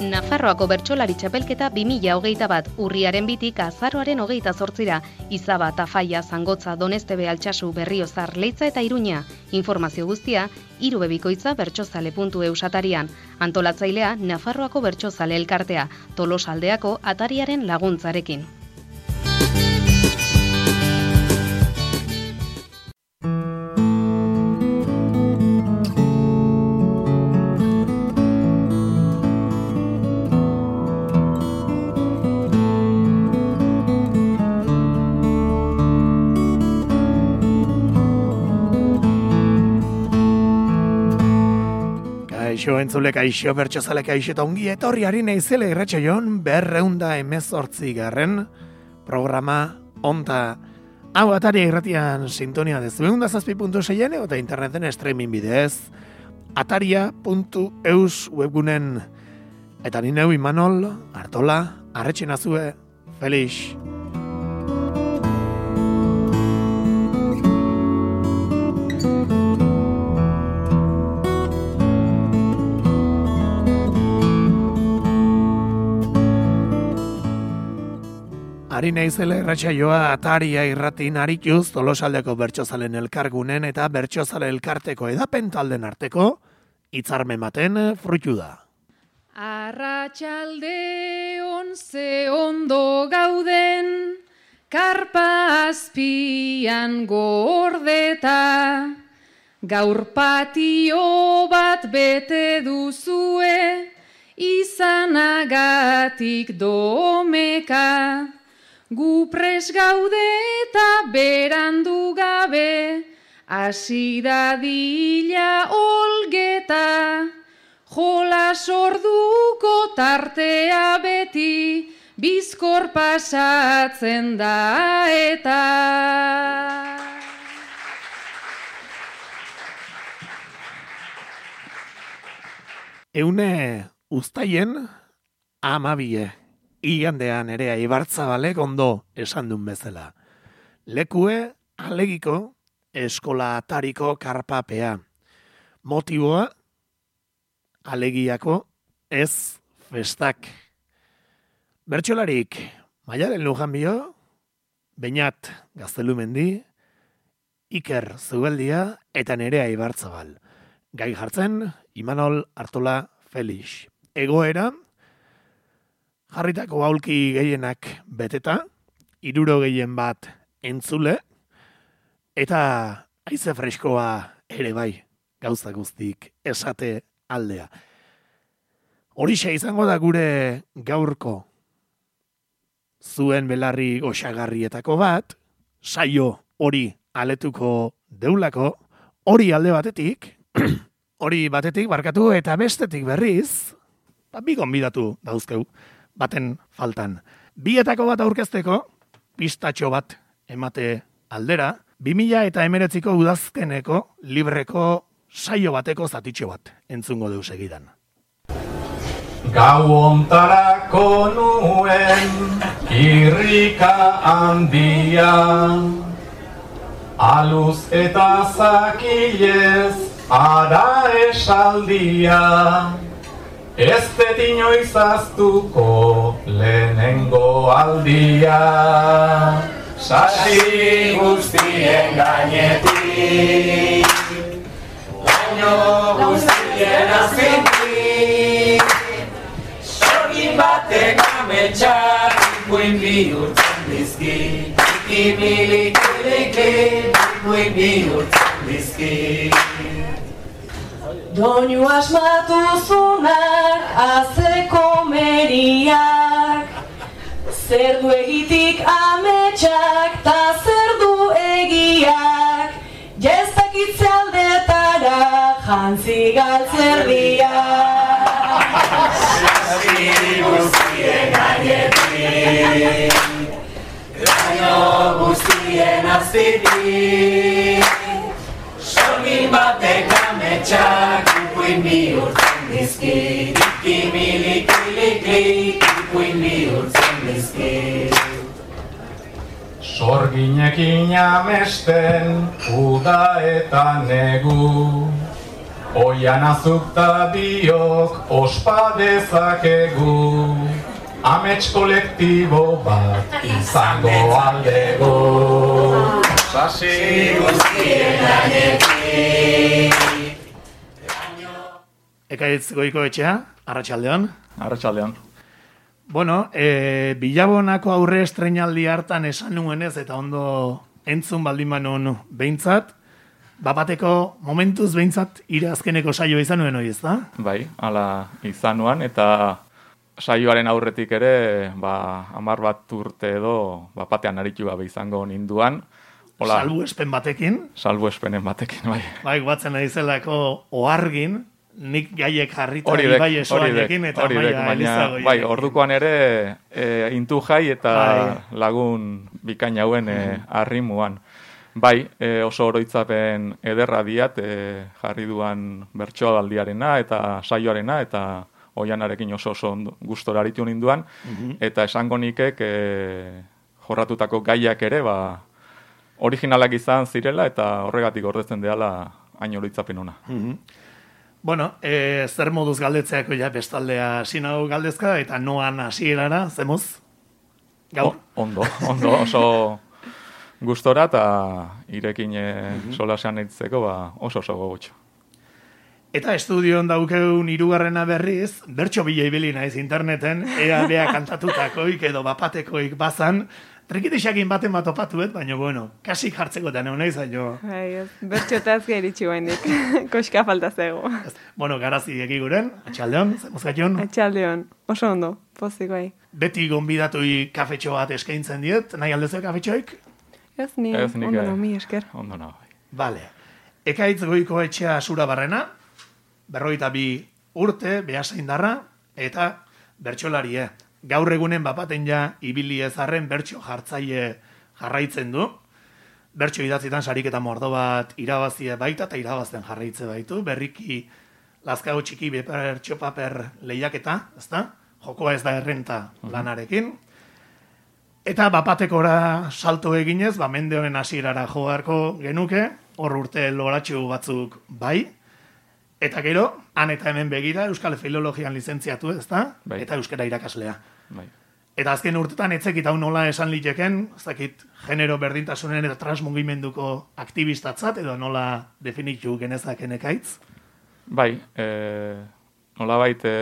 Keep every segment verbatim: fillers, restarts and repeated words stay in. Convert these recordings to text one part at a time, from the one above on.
Nafarroako bertsolari txapelketa bi mila hogeita bat urriaren bitik azaroaren hogeita zortzira, Izaba, Tafaia, Zangotza, Donestebe, Altsasu, Berriozar, Leitza eta Iruña. Informazio guztia, irubebikoitza bertsozale puntu eus atarian. Antolatzailea, Nafarroako bertsozale elkartea, Tolosaldeako atariaren laguntzarekin. Kaixo entzule, kaixo bertsozale, kaixo eta ongi etorriari naizele irratsaioan berreunda hemezortzi garren programa onta hau Ataria irratian sintonia dezu eunda zazpi puntu seian eta interneten streaming bidez ataria puntu eus webgunen eta nineu Imanol Artola arretxen azue Felix. Ari naizela irratsaioa Ataria irratin arituz Tolosaldeko bertsozalen elkargunen eta bertsozale elkarteko edapen talden arteko hitzarmen baten fruitu da. Arratsalde on ze ondo gauden, karpa azpian gordeta, gaur patio bat bete duzue, izanagatik domeka. Gu pres gaude eta berandu gabe, hasi dadila olgeta, jolas orduko tartea beti, bizkor pasatzen da eta. Eune uztaien amabie. Igandean ere Ibartzabalek ondo esan duen bezala. Lekue alegiko eskola atariko karpapea. Motiboa alegiako ez festak. Bertsolarik Maialen Lujanbio, Beñat Gaztelumendi, Iker Zubeldia eta Nerea Ibartzabal. Gai jartzen Imanol Artola Felix. Egoera jarritako aulki gehienak beteta, hiruro gehien bat entzule, eta haize freskoa ere bai, gauza guztik esate aldea. Horixe izango da gure gaurko zuen belarri goxagarrietako bat, saio hori aletuko deulako, hori alde batetik, hori batetik barkatu eta bestetik berriz, bi gonbidatu dauzkeu, baten faltan. Bietako bat aurkezteko, pistatxo bat emate aldera, bi mila eta hemeretziko udazkeneko libreko saio bateko zatitxo bat entzungo deu segidan. Gau ontarako nuen irrika handia, aluz eta zakilez ara esaldia, ez detino izaztuko lehenengo aldia, sasi guztien gainetik, baino guztien azpitik, sorgin batek ametsak ikuin bihurtzen dizki, ikimilik-ilik, ikuin bihurtzen dizki. Doinu asmatu zunak, azeko meriak, zer du egitik ametsak, ta zer du egiak, jestakitze aldetara, jantzi galtzerdiak. Sasi guztien gainetik, baino guztien azpitik, sorgin batek ametsak ikuin bihurtzen dizki, ikimilik-ilik, ikuin bihurtzen dizki. Sorginekin amesten uda eta negu, Oian azukta biok ospa dezakegu, amets kolektibo bat izango aldego. Sasi guztien gainetik. Ekaitz Goikoetxea, arratsaldeon. Arratsaldeon. Bueno, e, Bilabonako aurre estreinaldi hartan esan nuenez eta ondo entzun baldin manun behintzat, bapateko momentuz behintzat ire azkeneko saioa izan nuen hori, ezta? Bai, hala izan nuan, eta saioaren aurretik ere, ba, hamar bat urte edo, bapatean aritu gabe izango ninduan. Hola, salbuespen batekin. Salbuespenen batekin, bai. Bai, batzen ari zelako ohargin, nik gaiek jarrita Horidek, ibai esoanekin eta horidek, maia baina, elizago. bai, ordukoan ere e, intu jai eta Bai. lagun bikain hauen e, arrimuan. Bai, e, oso oroitzapen ederra diat e, jarri duan bertsoaldiarena eta saioarena eta oianarekin oso oso gustora aritu ninduan, eta esango nikek e, jorratutako gaiak ere, ba, originalak izan zirela eta horregatik gordetzen deala hain oroitzapen ona. Bueno, e, zer moduz galdetzeako ja bestaldea sinau galdezka eta noan hasierara, zemuz? Gaur? O, ondo, ondo, oso gustora eta irekin e, solasean eitzeko ba, oso oso gogotxo. Eta estudioan daukeun hirugarrena berriz, bertso bila ibili naiz interneten, ea bea kantatutakoik edo bapatekoik bazan, trikitixakin baten bat opatuet, baina bueno, kasik jartzeko eta neon nahi zaino. Bai, ez, bertxotaz geritxu bainik, koska falta zego. Bueno, garazi egiguren, atxaldeon, zemuzkation. Atxaldeon, oso ondo, pozik bai. Beti gonbidatui kafetxo bat eskaintzen diet, nahi aldezu kafetxoik? Ez ni, Ez nik, ondo eh, no, mi esker. Ondo no, bai. Vale. Ekaitz Goikoetxea Sura Barrena, berroita bi urte, behasaindarra, eta bertsolarie. Gaur egunen bapaten ja ibili ezarren bertso jartzaile jarraitzen du. Bertso idatzitan sariketa mordo bat irabazie baita eta irabazten jarraitze baitu. Berriki Lazkao txiki bertso paper lehiaketa, ezta? Jokoa ez da errenta lanarekin. Eta bapatekora salto eginez, ba mende honen hasierara joarko genuke, hor urte loratxu batzuk bai. Eta gero, han eta hemen begira, Euskal Filologian lizentziatu, ezta? Bai. Eta euskara irakaslea. Bai. Eta azken urtetan etzekit hau nola esan liteken, ez dakit genero berdintasunen eta transmugimenduko aktibistatzat, edo nola definitu genezaken ekaitz? Bai, e, nolabait e,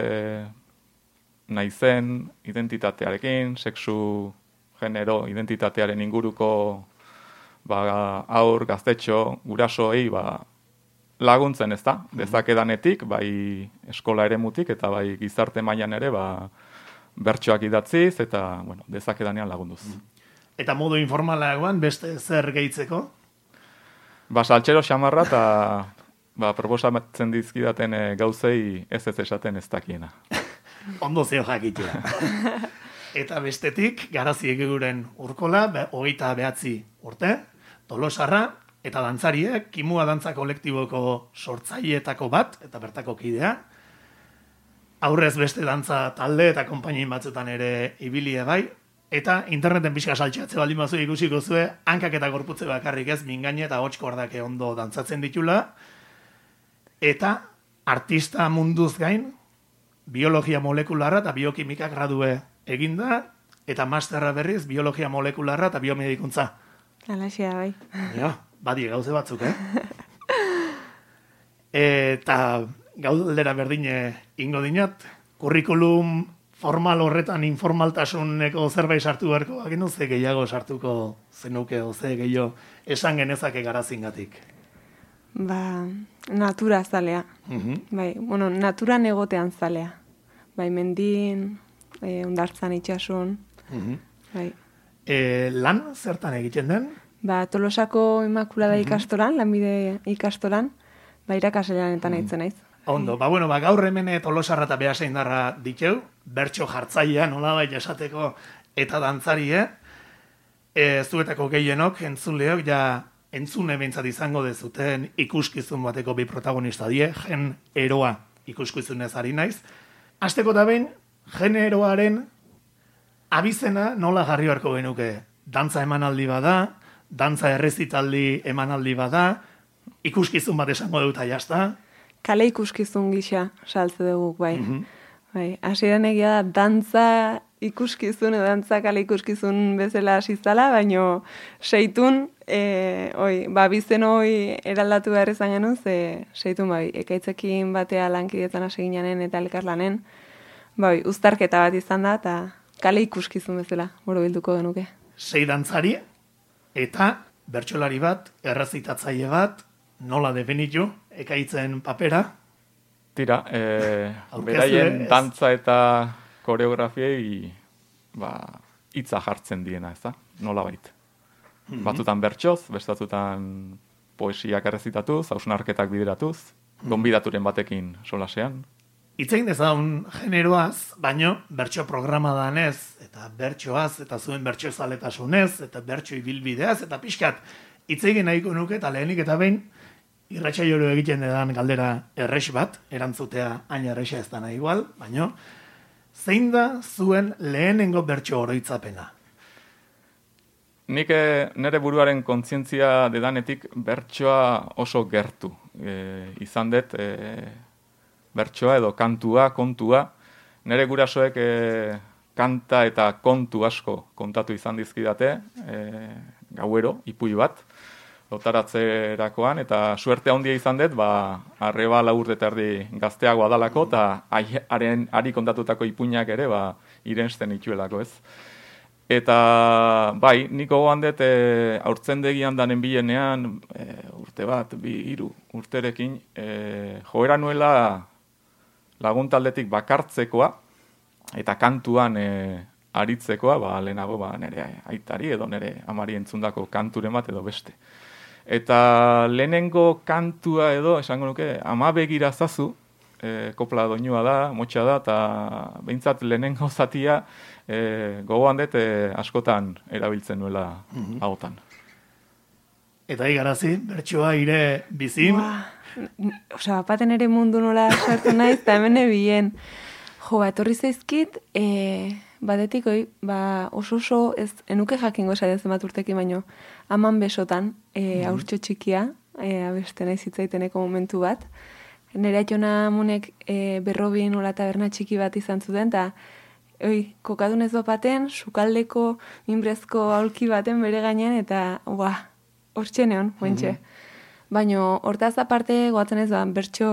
naizen identitatearekin, sexu, genero, identitatearen inguruko ba, aur, gaztetxo, gurasoei, ba, laguntzen, ez da? Dezakedanetik, bai eskola eremutik eta bai gizarte mailan ere, ba, bertsoak idatziz eta, bueno, dezakedanean lagunduz. Eta modu informalagoan beste zer gehitzeko? Ba, saltxero xamarra eta ba, proposatzen dizkidaten e, gauzei ez ez esaten ez dakiena. Ondo zeo jakitea. Eta bestetik, garazi egiguren urkola, be, hogeita behatzi urte, Tolosarra, eta dantzariek, Kimua Dantza Kolektiboko sortzaileetako bat, eta bertako kidea, aurrez beste dantza talde eta konpainin batzutan ere ibilie bai, eta interneten pixka saltxatze baldin bazu ikusiko zue, hankak eta gorputze bakarrik ez, mingaine eta hotxkordake ondo dantzatzen ditula, eta artista munduz gain, biologia molekularra eta biokimika gradue eginda, eta masterra berriz, biologia molekularra eta biomedikuntza. Alaxia bai. Ja, badi gauze batzuk, eh? Eta gaudera berdine ingo dinat, kurrikulum formal horretan informaltasuneko zerbait sartu beharko, bagenu ze gehiago sartuko zenuke, o ze gehiago esan genezake garazingatik. Ba, natura zalea. Mhm. Bai, bueno, naturan egotean zalea. Bai, mendin, e, ondartzan itxasun. Mhm. Bai. E, lan zertan egiten den? Ba, Tolosako Immaculada ikastolan, lanbide ikastolan, ba, irakaslean eta nahitzen naiz. Ondo, ba, bueno, ba, gaur hemen Tolosarra eta Beasaindarra diteu, bertso jartzailea, nolabait esateko, eta dantzarie, e, zuetako gehienok, entzunleok, ja, entzune behintzat izango dezuten ikuskizun bateko bi protagonista die, gen eroa ikuskizunez ari naiz. Azteko da behin, gen eroaren abizena nola jarri beharko genuke. Dantza emanaldi bada, dantza errezitaldi emanaldi bada, ikuskizun bat esango dut jazta. kale ikuskizun gisa saltze dugu, bai. Bai, hasieran egia da, dantza ikuskizun, edo dantza kale ikuskizun bezala hasi zala, baino seitun, e, oi, ba, bizen hoi eraldatu behar izan genuen, ze seitun, bai, ekaitzekin batea lankidetan hasi ginanen eta elkarlanen, bai, uztarketa bat izan da, eta kale ikuskizun bezala, boro bilduko genuke. Sei dantzari, eta bertsolari bat, errezitatzaile bat, nola definitu, ekaitzen papera? Tira, e, beraien dantza eta koreografiei ba, hitza jartzen diena, ez da? Nola bait. Mm-hmm. Batzutan bertsoz, bestatutan poesiak errezitatuz, hausnarketak bideratuz, mm-hmm. gonbidaturen batekin solasean. Itzein dezagun generoaz, baino bertso programa danez, eta bertsoaz, eta zuen bertso zaletasunez, eta bertso ibilbideaz, eta pixkat, itzegin nahiko nuke, eta lehenik eta behin, irratsaioero egiten edan galdera errex bat, erantzutea hain errexa ez dana igual, baino, zein da zuen lehenengo bertso oroitzapena? Nik nire buruaren kontzientzia dedanetik bertsoa oso gertu. E, izan dut, e, bertsoa edo kantua, kontua, nire gurasoek e, kanta eta kontu asko kontatu izan dizkidate, e, gauero, ipuilu bat, lotaratzerakoan, eta suerte handia izan dut, ba, arreba laur eta erdi gazteagoa dalako, eta haren ari kontatutako ipuinak ere, ba, irensten ituelako, ez. Eta, bai, niko gohan dut, e, aurtzendegian danen bilenean, e, urte bat, bi, hiru urterekin, e, joera nuela laguntaldetik bakartzekoa, eta kantuan e, aritzekoa, ba, lehenago, ba, nire aitari edo nire amari entzundako kanturen bat edo beste. Eta lehenengo kantua edo, esango nuke, ama begira zazu, e, kopla doinua da, motxa da, eta behintzat lehenengo zatia e, gogoan dut e, askotan erabiltzen nuela mm-hmm. ahotan. Eta igarazi, bertsoa ire bizin? Osa, bapaten ere mundu nola sartu naiz, eta hemen ebien. Jo, ba, etorri zaizkit, e, badetik, oi, ba, oso oso, ez, enuke jakingo esatzen bat urtekin baino, aman besotan, e, mm-hmm. aurtxo txikia, e, abeste nahi zitzaiteneko momentu bat. Nere atxona munek e, berrobin nola taberna txiki bat izan zuten, eta oi, kokadunez bapaten, sukaldeko, minbrezko aulki baten bere gainean, eta, ua, hortxe neon, moentxe. Mm-hmm. Baino, hortaz aparte, goatzen ez, ba, bertxo,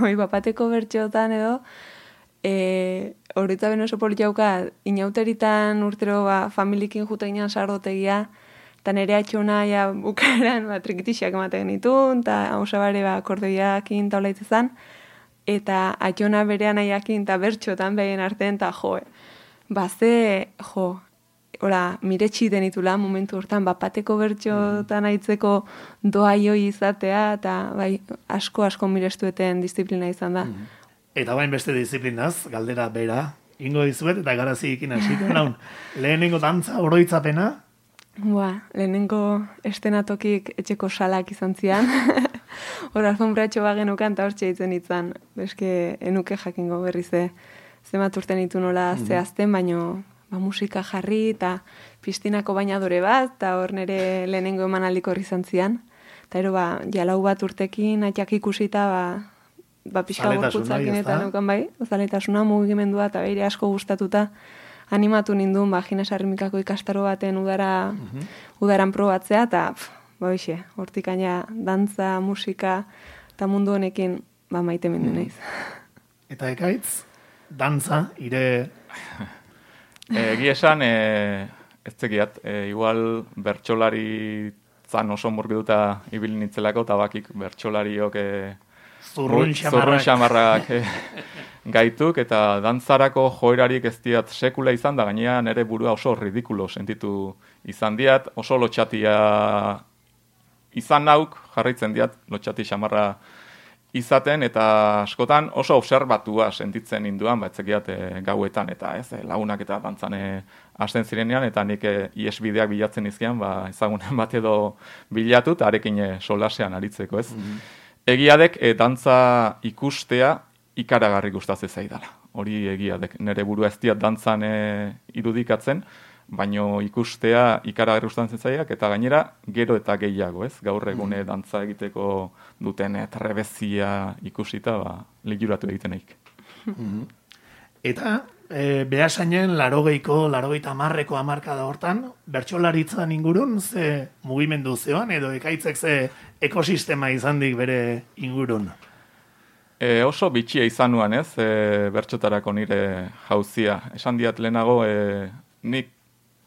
oi, bapateko bertxotan edo, E, horretza ben oso politiauka, inauteritan urtero ba, familikin jute ginean sardotegia, eta nire atxona ja, bukaeran ba, trikitixak ematen ditun, eta hausabare ba, kordoiakin taula itzezan, eta atxona berean aiakin eta bertxotan behien artean, eta jo, ba ze, jo, ora, mire txiten itula momentu hortan, bapateko bertxotan aitzeko doa joi izatea, eta bai, asko-asko mirestueten disiplina izan da. Mm. Eta bain beste disiplinaz, galdera bera, ingo dizuet, eta garazi ikin hasiko naun. Lehenengo dantza oroitzapena? Ba, lehenengo estenatokik etxeko salak izan zian. Hor, alfombratxo bagenukan, eta hor txeitzen itzan. Beske, enuke jakingo berrize, zemat urten ditu nola mm-hmm. zehazten, baino ba, musika jarri, eta pistinako bainadore bat, eta hor nire lehenengo emanaldiko horri izan zian. Eta ero, ba, jalau bat urtekin, atxak ikusita, ba, ba, pixka gorputzakin eta neukan bai, zaletasuna mugimendua eta beire asko gustatuta animatu nindun, ba, Gines Arrimikako ikastaro baten udara, uh-huh. udaran probatzea, eta, ba, bixe, hortik aina dantza, musika, eta mundu honekin, ba, maite mendu naiz. Eta ekaitz, dantza, ire... Egi esan, e, ez zekiat, e, igual bertsolari zan oso murgiduta ibilin nitzelako, eta bakik bertsolariok... E, Zurrun xamarrak, xamarrak eh, gaituk, eta dantzarako joerarik ez diat sekula izan, da gainea nire burua oso ridikulo sentitu izan diat, oso lotxatia izan nauk, jarraitzen diat, lotxati xamarra izaten, eta askotan oso observatua sentitzen induan, ba, etzekiat e, gauetan, eta ez, e, lagunak eta dantzane hasten zirenean, eta nik e, iesbideak bilatzen izkian, ba, ezagunen bat edo bilatu, eta arekin e, solasean aritzeko, ez. Mm-hmm. Egiadek, e, dantza ikustea ikaragarri gustatzen zaidala. Hori egiadek. Nere burua ez diat dantzan e, irudikatzen, baino ikustea ikaragarri gustatzen zaiak, eta gainera gero eta gehiago, ez? Gaur egune dantza egiteko duten trebezia ikusita, ba, liguratu egiteneik. Eta e, behasainen larogeiko, larogeita hamarreko hamarkada hortan, bertsolaritzan ingurun ze mugimendu zeoan, edo ekaitzek ze ekosistema izandik bere ingurun? E, oso bitxia izan nuan, ez, e, bertsotarako nire jauzia. Esan diat lehenago, e, nik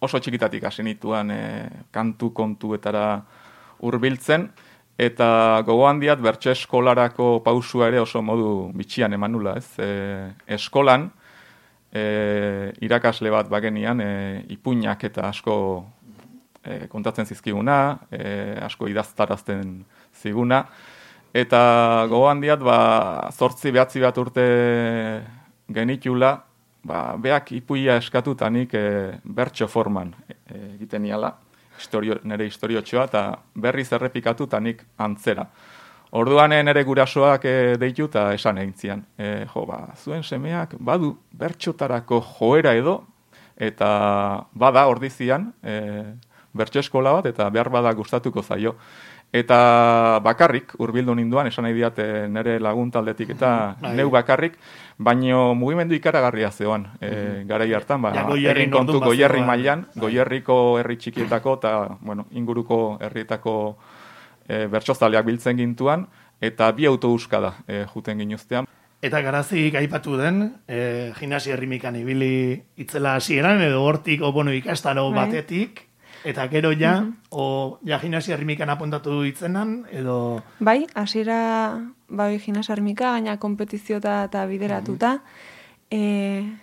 oso txikitatik hasi nituan e, kantu kontuetara hurbiltzen, eta gogoan diat bertso eskolarako pausua ere oso modu bitxian emanula, ez. E, eskolan, e, irakasle bat bagenian, e, ipuinak eta asko e, kontatzen zizkiguna, e, asko idaztarazten ziguna, eta gogoan diat, ba, zortzi behatzi bat urte genitula, ba, beak ipuia eskatutanik e, bertso forman e, egiten niala, historio, nire historiotxoa, eta berriz errepikatutanik antzera. Orduan nire gurasoak e, deitu eta esan egin zian. E, jo, ba, zuen semeak badu bertxotarako joera edo, eta bada ordizian e, bertso eskola bat, eta behar bada gustatuko zaio. Eta bakarrik, hurbildu ninduan, esan nahi diat nire lagun taldetik eta neu bakarrik, baino mugimendu ikaragarria zeoan. E, garai hartan, ba, egin kontu Goierri mailan, Goierriko herri txikietako eta bueno, inguruko herrietako e, bertsozaleak biltzen gintuan, eta bi autobuska da e, juten ginuztean. Eta garazik aipatu den, e, gimnasia errimikan ibili itzela hasieran, edo hortik, o, bueno, ikastaro batetik, eta gero ja, mm-hmm. o ja gimnasia errimikan apuntatu ditzenan, edo... Bai, hasiera bai gimnasia errimika, gaina kompetizio eta bideratuta, mm-hmm. e,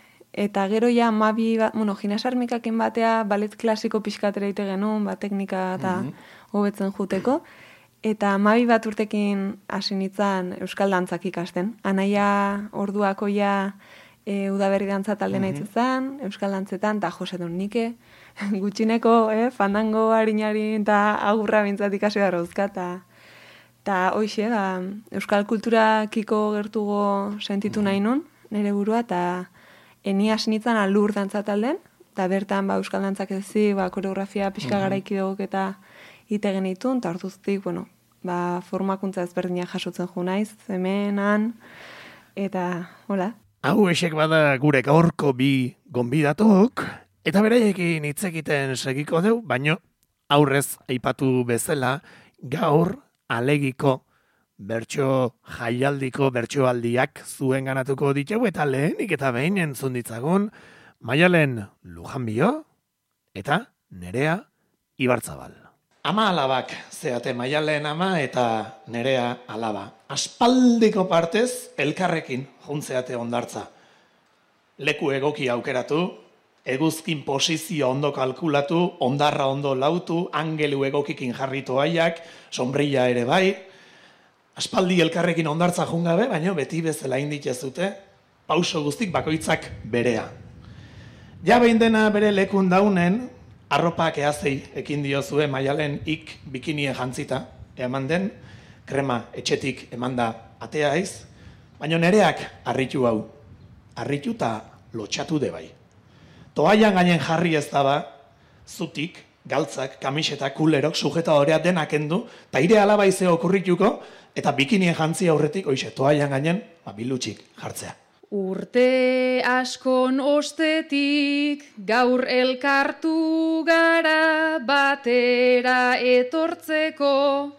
eta gero ja mabi, ba, bueno, gimnasia errimikakin batea, balet klasiko pixkatera ite genuen, ba, teknika eta mm-hmm. hobetzen juteko, eta mabi bat urtekin hasi nintzen euskal dantzak ikasten. Anaia orduako ja e, udaberri dantza talde mm-hmm. nahitzen, euskal dantzetan, eta jose duen nike, gutxineko, eh, fandango harinari eta agurra bintzat ikasi behar dauzka, eta hoxe, da, euskal kulturakiko gertugo sentitu nahi nun, nire burua, eta eni hasi nintzen alur dantza talden, eta bertan ba, euskal dantzak ezi, ba, koreografia pixka garaiki dugok eta ite genitun, eta orduztik, bueno, ba, formakuntza ezberdinak jasotzen ju naiz, hemen, han, eta, hola. Hau esek bada gure gaurko bi gonbidatok, eta beraiekin hitz egiten segiko deu, baino aurrez aipatu bezala gaur alegiko bertso jaialdiko bertsoaldiak zuen ganatuko ditugu eta lehenik eta behin entzun ditzagun Maialen Lujanbio eta Nerea Ibarzabal. Ama alabak zeate Maialen ama eta Nerea alaba. Aspaldiko partez elkarrekin juntzeate ondartza. Leku egoki aukeratu, eguzkin posizio ondo kalkulatu, ondarra ondo lautu, angelu egokikin jarritu aiak, sombrilla ere bai. Aspaldi elkarrekin ondartza jungabe, baina beti bezala inditezute, pauso guztik bakoitzak berea. Ja behin dena bere lekun daunen, arropak ehazei ekin diozue Maialen ik bikinie jantzita, eman den, krema etxetik emanda atea aiz, baina Nereak harritu hau, harritu eta lotxatu de bai. Toaian gainen jarri ez daba, zutik, galtzak, kamiseta, kulerok, sujetadorea denak endu, eta ire alaba izeo okurrituko, eta bikinien jantzi aurretik, oixe, toaian gainen, bilutxik jartzea. Urte askon ostetik, gaur elkartu gara batera etortzeko,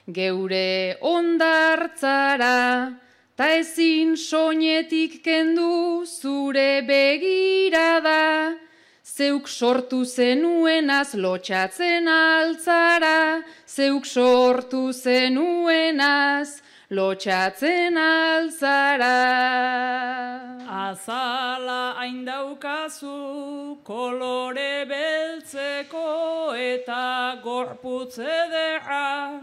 geure ondartzara, ta ezin soinetik kendu zure begirada, zeuk sortu zenuenaz lotxatzen altzara, zeuk sortu zenuenaz lotxatzen altzara. Azala hain daukazu kolore beltzeko eta gorputz ederra,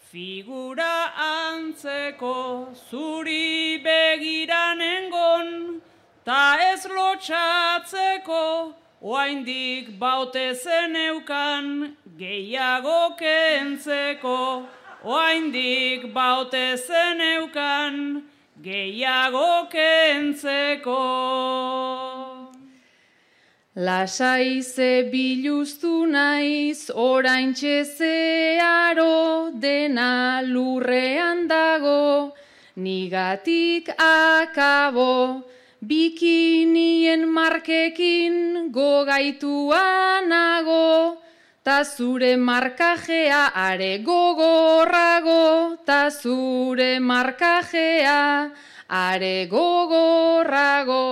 figura antzeko zuri begiranengon, ta ez lotxatzeko, oaindik baute zeneukan gehiago kentzeko, oaindik baute zeneukan gehiago kentzeko. Lasai ze biluztu naiz, oraintxe zeharo, dena lurrean dago, nigatik akabo, bikinien markekin gogaitua nago, ta zure markajea are gogorrago, ta zure markajea are gogorrago.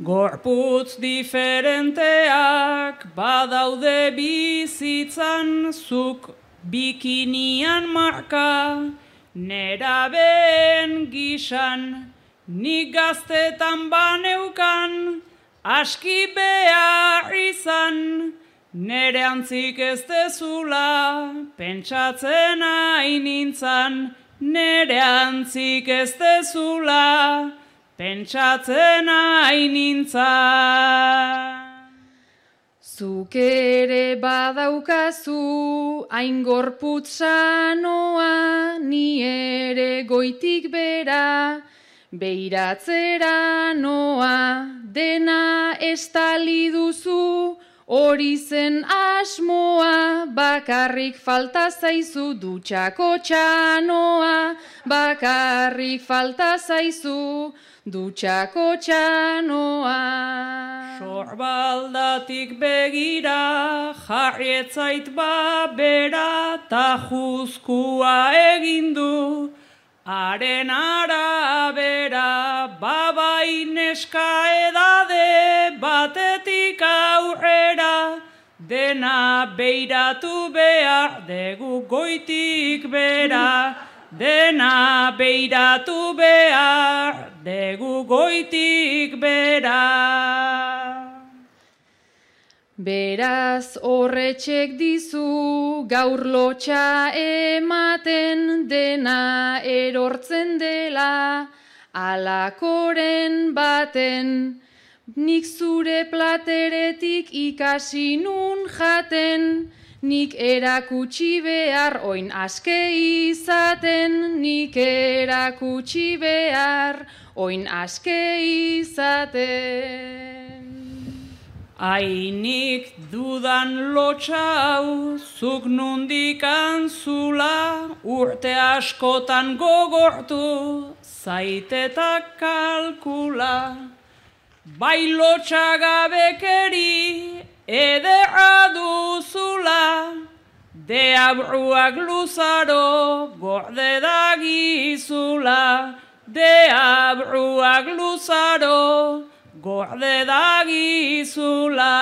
Gorputz diferenteak badaude bizitzan, zuk bikinian marka, nerabeen gisan, nik gaztetan baneukan, aski behar izan, nere antzik ez dezula, pentsatzen hain nintzan, nere antzik ez dezula, pentsatzen hain nintzan. Zuk ere badaukazu hain gorputz sanoa, ni ere goitik bera, beiratzera noa, dena estali duzu, hori zen asmoa, bakarrik falta zaizu dutxako txanoa, bakarrik falta zaizu dutxako txanoa. Sorbaldatik begira, jarrietzait babera, ta juzkua egindu, haren arabera, babai neska edade, batetik aurrera, dena beiratu behar, degu goitik bera, dena beiratu behar, degu goitik bera. Beraz horretxek dizu gaur lotxa ematen, dena erortzen dela alakoren baten. Nik zure plateretik ikasi nun jaten, nik erakutsi behar oin aske izaten, nik erakutsi behar oin aske izaten. Ainik dudan lotxau, zuk nundik antzula, urte askotan gogortu, zaitetak kalkula. Bai lotxagabekeri ederra duzula, deabruak luzaro gorde dagizula, deabruak luzaro gorde dagizula.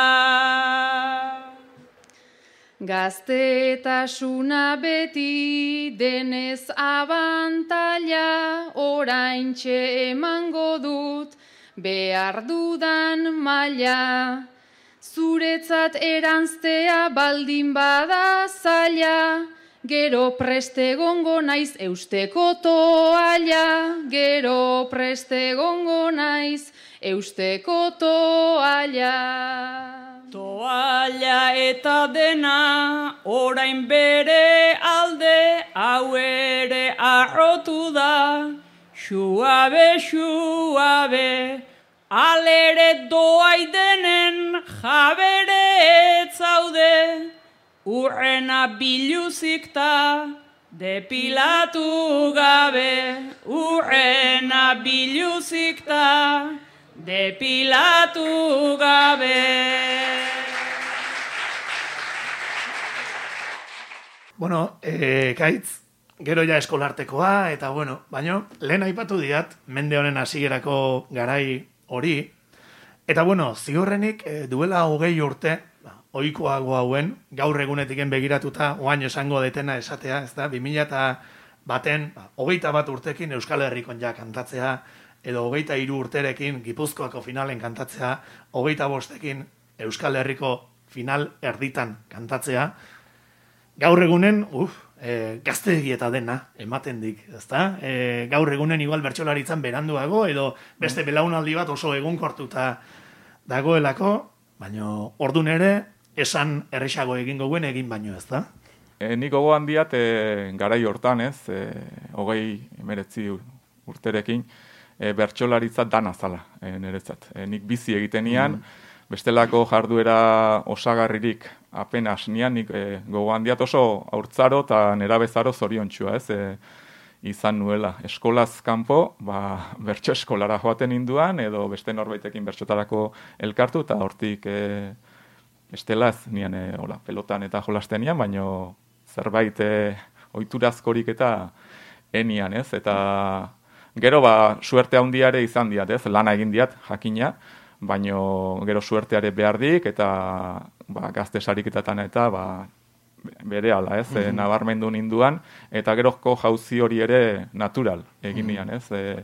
Gaztetasuna beti denez abantaila, oraintxe emango dut behar dudan maila. Zuretzat eranztea baldin bada zaila, gero preste gongo naiz eusteko toalla, gero preste gongo naiz eusteko toalla. Toalla eta dena, orain bere alde, hau ere arrotu da, xuabe, xuabe, alere doai denen jabere etzaude, urrena biluzik ta, depilatu gabe, urrena biluzik ta, depilatu gabe. Bueno, eh, Kaitz, gero ja eskolartekoa, eta bueno, baino, lehen aipatu diat, mende honen hasierako garai hori, eta bueno, ziurrenik eh, duela hogei urte, ba, ohikoago hauen, gaur egunetiken begiratuta, oain esango detena esatea, ez da, bi mila baten, ba, hogeita bat urtekin Euskal Herrikon ja kantatzea, edo hogeita hiru urterekin Gipuzkoako finalen kantatzea, hogeita bostekin Euskal Herriko final erditan kantatzea, gaur egunen, uf, e, gaztegi eta dena ematen dik, ezta? E, gaur egunen igual bertsolaritzan beranduago, edo beste belaunaldi bat oso egunkortuta dagoelako, baino ordun ere, esan erresago egingo guen egin baino, ezta? E, nik gogoan diat, e, garai hortan, ez, e, hogei emeretzi urterekin, e, bertsolaritza dana zala, e, niretzat. E, nik bizi egiten nian, bestelako jarduera osagarririk apenas nian, nik e, gogoan diat oso haurtzaro eta nerabezaro zoriontxua, ez, e, izan nuela. Eskolaz kanpo, ba, bertso eskolara joaten induan, edo beste norbaitekin bertsotarako elkartu, eta hortik e, bestela ez nian e, hola, pelotan eta jolasten nian, baino zerbait e, ohiturazkorik eta enian, ez, eta gero, ba, suerte handiare izan diat, ez, lana egin diat, jakina, baino gero suerteare behar dik, eta ba, gazte sariketatan eta ba, bere ala, ez, mm-hmm. e, nabarmendu ninduan, eta gerozko jauzi hori ere natural egin nian, ez, e,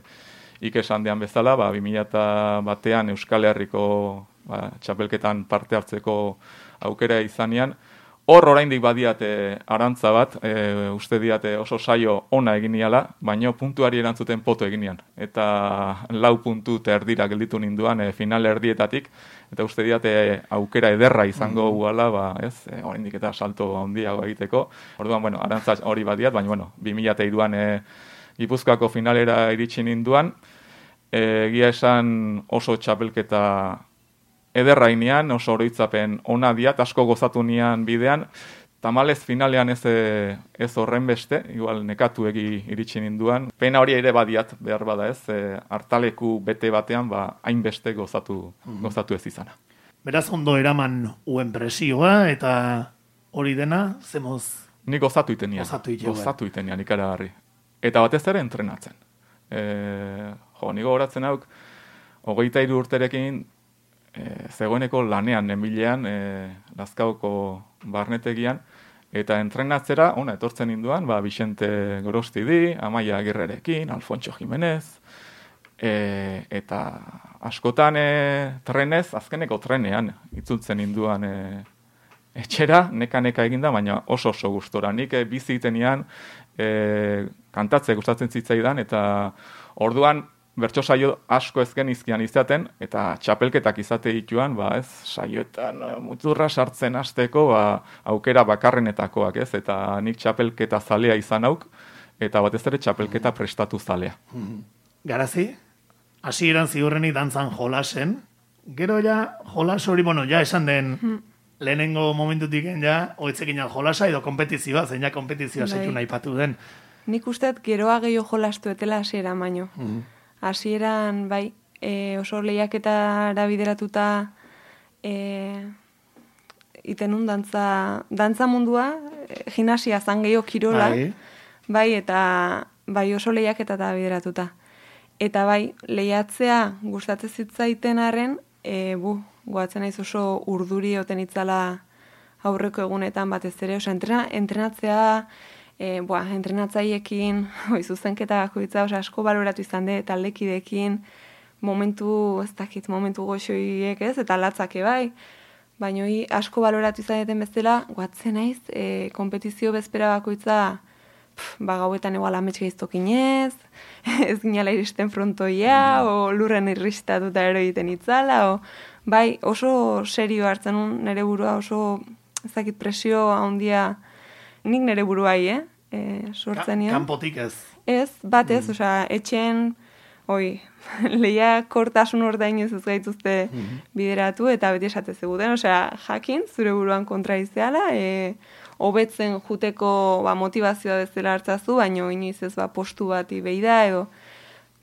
ikesan dean bezala, ba, bi mila batean Euskal Herriko ba, txapelketan parte hartzeko aukera izanean, hor oraindik badiate arantza bat, e, uste diate oso saio ona egin niala, baino puntuari erantzuten poto egin nian. Eta lau puntu eta erdira gelditu ninduan e, final erdietatik, eta uste diate aukera ederra izango guala, ba, ez, e, oraindik eta salto handiago egiteko. Orduan, bueno, arantza hori badiat, baina, bueno, bi mila hiruan e, Gipuzkoako finalera iritsi ninduan, e, egia esan oso txapelketa ederra inean, oso oroitzapen ona diat, asko gozatu nian bidean, tamalez finalean ez, ez horren beste, igual nekatu egi iritsi ninduan. Pena hori ere badiat, behar bada ez, e, hartaleku bete batean, ba, hainbeste gozatu, mm-hmm. gozatu ez izana. Beraz ondo eraman uen presioa, eta hori dena, zemoz... Ni gozatu itenian, gozatu, gozatu itenian ikaragarri. Eta batez ere entrenatzen. E, jo, nigo horatzen hauk, hogeita hiru urterekin, E, zegoeneko lanean nenbilean, e, Lazkaoko barnetegian, eta entrenatzera, ona, etortzen induan, ba, Vicente Gorostidi, Amaia Agirrerekin, Alfonso Jimenez, e, eta askotan e, trenez, azkeneko trenean, itzultzen induan e, etxera, neka-neka eginda, baina oso oso gustora. Nik e, bizi itenean, e, kantatze gustatzen zitzaidan, eta orduan, bertso saio asko ezken izkian izaten, eta txapelketak izate dituan, ba, ez, saioetan muturra sartzen hasteko, ba, aukera bakarrenetakoak, ez, eta nik txapelketa zalea izan auk, eta batez ere txapelketa prestatu zalea. Garazi, hasieran ziurrenik dantzan jolasen, gero ja, jolas hori, bueno, ja esan den, lehenengo momentutik ja, oitzekin jolasa, edo kompetizioa, zein ja kompetizioa zeitu nahi patu den. Nik usteet geroa gehiago jolastu etela hasiera baino. Hasieran, bai, e, oso lehiaketara bideratuta e, itenun dantza, dantza mundua, e, gimnasia zan gehiago kirola, bai. bai, eta bai oso lehiaketara bideratuta. Eta bai, lehiatzea gustatzen zitzaiten arren, e, bu, goatzen naiz oso urduri oten itzala aurreko egunetan batez ere, oso entrena, entrenatzea, E, boa, entrenatzaiekin, oi, zuzenketa bakoitza, oso asko baloratu izan de, taldekidekin, momentu, ez dakit, momentu goxoiek ez, eta latzake bai, baina oi, asko baloratu izan deten bezala, guatzen naiz, e, kompetizio bezpera bakoitza, pf, ba, gauetan egual ametxe giztokinez, ez ginala iristen frontoia, o lurren irristatuta ero egiten itzala, o, bai, oso serio hartzen un, nire burua oso, ez dakit, presio handia, nik nire buruai, eh? E, sortzen Ka, kanpotik ez. Ez, bat ez, mm. osea, etxen, oi, lehia kortasun ordainez ez gaituzte mm-hmm. bideratu, eta beti esate zeguten, osea, jakin, zure buruan kontra izeala, e, hobetzen juteko ba, motivazioa bezala hartzazu, baina inoiz ez ba, postu bati behi da, edo,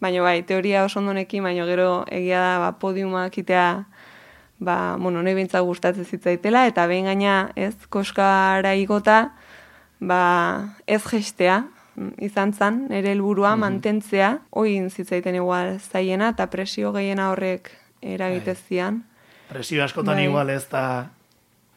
baina bai, teoria oso ondonekin, baina gero egia da ba, podiumak itea, ba, bueno, nahi bintza gustatzen zitzaitela, eta behin gaina, ez, koskara igota, ba, ez gestea, izan zan, nire helburua mm-hmm. mantentzea, oin zitzaiten igual zaiena, eta presio gehiena horrek eragitezian. Presio askotan bai. Igual ez da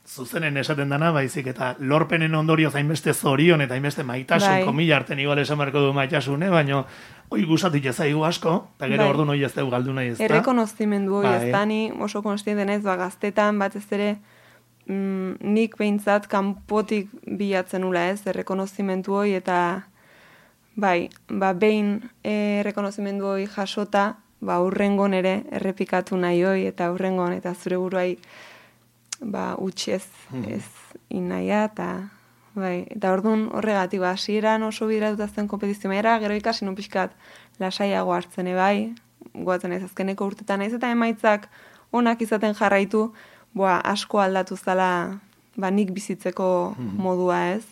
zuzenen esaten dana, baizik eta lorpenen ondorio zainbeste zorion eta hainbeste maitasun, bai. Komila arten igual esan marko du maitasune, baina oi gustatik ezaigu asko, eta gero bai. Ordu noi ez dugu galdu nahi ez da. Errekonozimendu hori bai. Ez da, ni oso konstiente naiz, ba, gaztetan batez ere, Mm, nik behintzat kanpotik bilatzen nula ez, errekonozimentu hoi, eta bai, ba, behin errekonozimentu hoi jasota, ba, urrengon ere errepikatu nahi hoi, eta urrengon, eta zure buruai, ba, utxez ez inaia, eta bai, eta orduan horregatik, ba, hasieran oso bideratuta zen kompetizio era, gero ikasi nun pixkat lasaiago hartzen bai, goatzen ez azkeneko urtetan naiz, eta emaitzak onak izaten jarraitu, boa, asko aldatu zala, ba, nik bizitzeko modua, ez?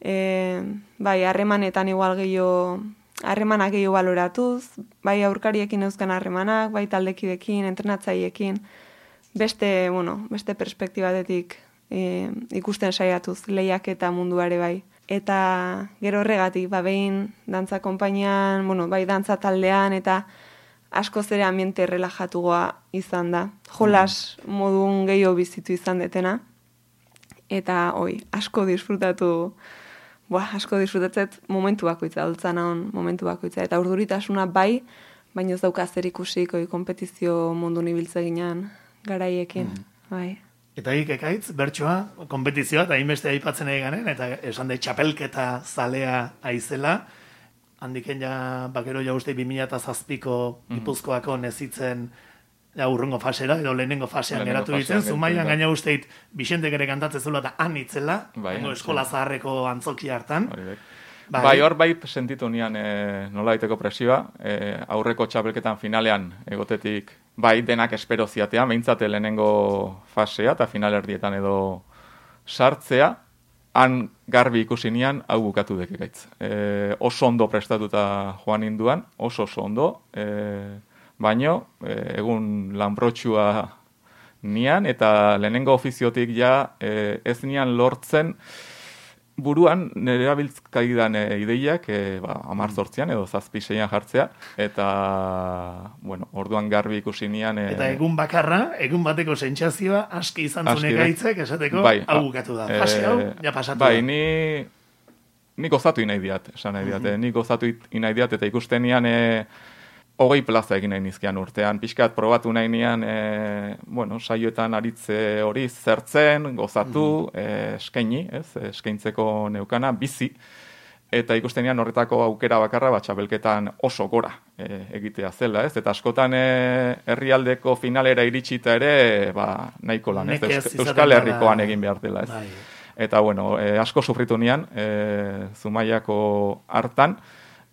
E, bai, harremanetan igual gehiago, harremanak gehiago baloratuz, bai aurkariekin euskan harremanak, bai taldekidekin, entrenatzaiekin, beste, bueno, beste perspektibatetik e, ikusten saiatuz, lehiak eta munduare bai. Eta gero horregatik, ba, behin dantza konpainian, bueno, bai dantza taldean, eta askoz ere ambiente relajatugoa izan da. Jolas modun gehiago bizitu izan detena. Eta, oi, asko disfrutatu, boa, asko disfrutatzet momentu bakoitza, holtzan hon momentu bakoitza. Eta urduritasuna bai, baina ez dauka zer ikusik, oi, kompetizio mundu nibiltzeginan garaiekin, mm. bai. Eta hik ekaitz, bertsoa, kompetizioa, eta hainbeste aipatzen eganen, eta esan da txapelketa zalea aizela, handiken ja, bakero ja uste bi mila zazpiko Gipuzkoako nezitzen ja, urrungo fasera, edo lehenengo fasean geratu ditzen, Zumaian gaina usteit Bixentek ere kantatzen zula eta han itzela, bai, eskola zaharreko antzoki hartan. Bai, bai, hor bai sentitu nian e, nola daiteko presioa, e, aurreko txapelketan finalean egotetik, bai denak espero ziatea, behintzate lehenengo fasea eta finalerdietan edo sartzea, han garbi ikusi nian hau bukatu dekikaitz. E, oso ondo prestatuta joan induan, oso oso ondo, e, baino e, egun lanbrotxua nian, eta lehenengo ofiziotik ja e, ez nian lortzen buruan nire abiltzkaidan e, ideiak e, ba, amar zortzian edo zazpiseian jartzea, eta bueno, orduan garbi ikusi nian... E, eta egun bakarra, egun bateko sentsazioa aski izan zunek aitzek, esateko, bai, hau bukatu da. Fase hau, ja pasatu bai, da. Ni, ni gozatu inai diat, esan nahi diat, mm -hmm. ni gozatu inai diat, eta ikusten nian... E, hogei plaza egin nahi nizkian urtean. Pixkat probatu nahi nian, e, bueno, saioetan aritze hori zertzen, gozatu, mm. e, eskaini, ez, eskaintzeko neukana, bizi, eta ikusten nian horretako aukera bakarra, bat txapelketan oso gora e, egitea zela, ez, eta askotan e, herrialdeko finalera iritsita ere, ba, nahiko lan, ez, Eus, Euskal Herrikoan egin behar dela, ez. Bai. Eta, bueno, e, asko sufritu nian, e, Zumaiako hartan,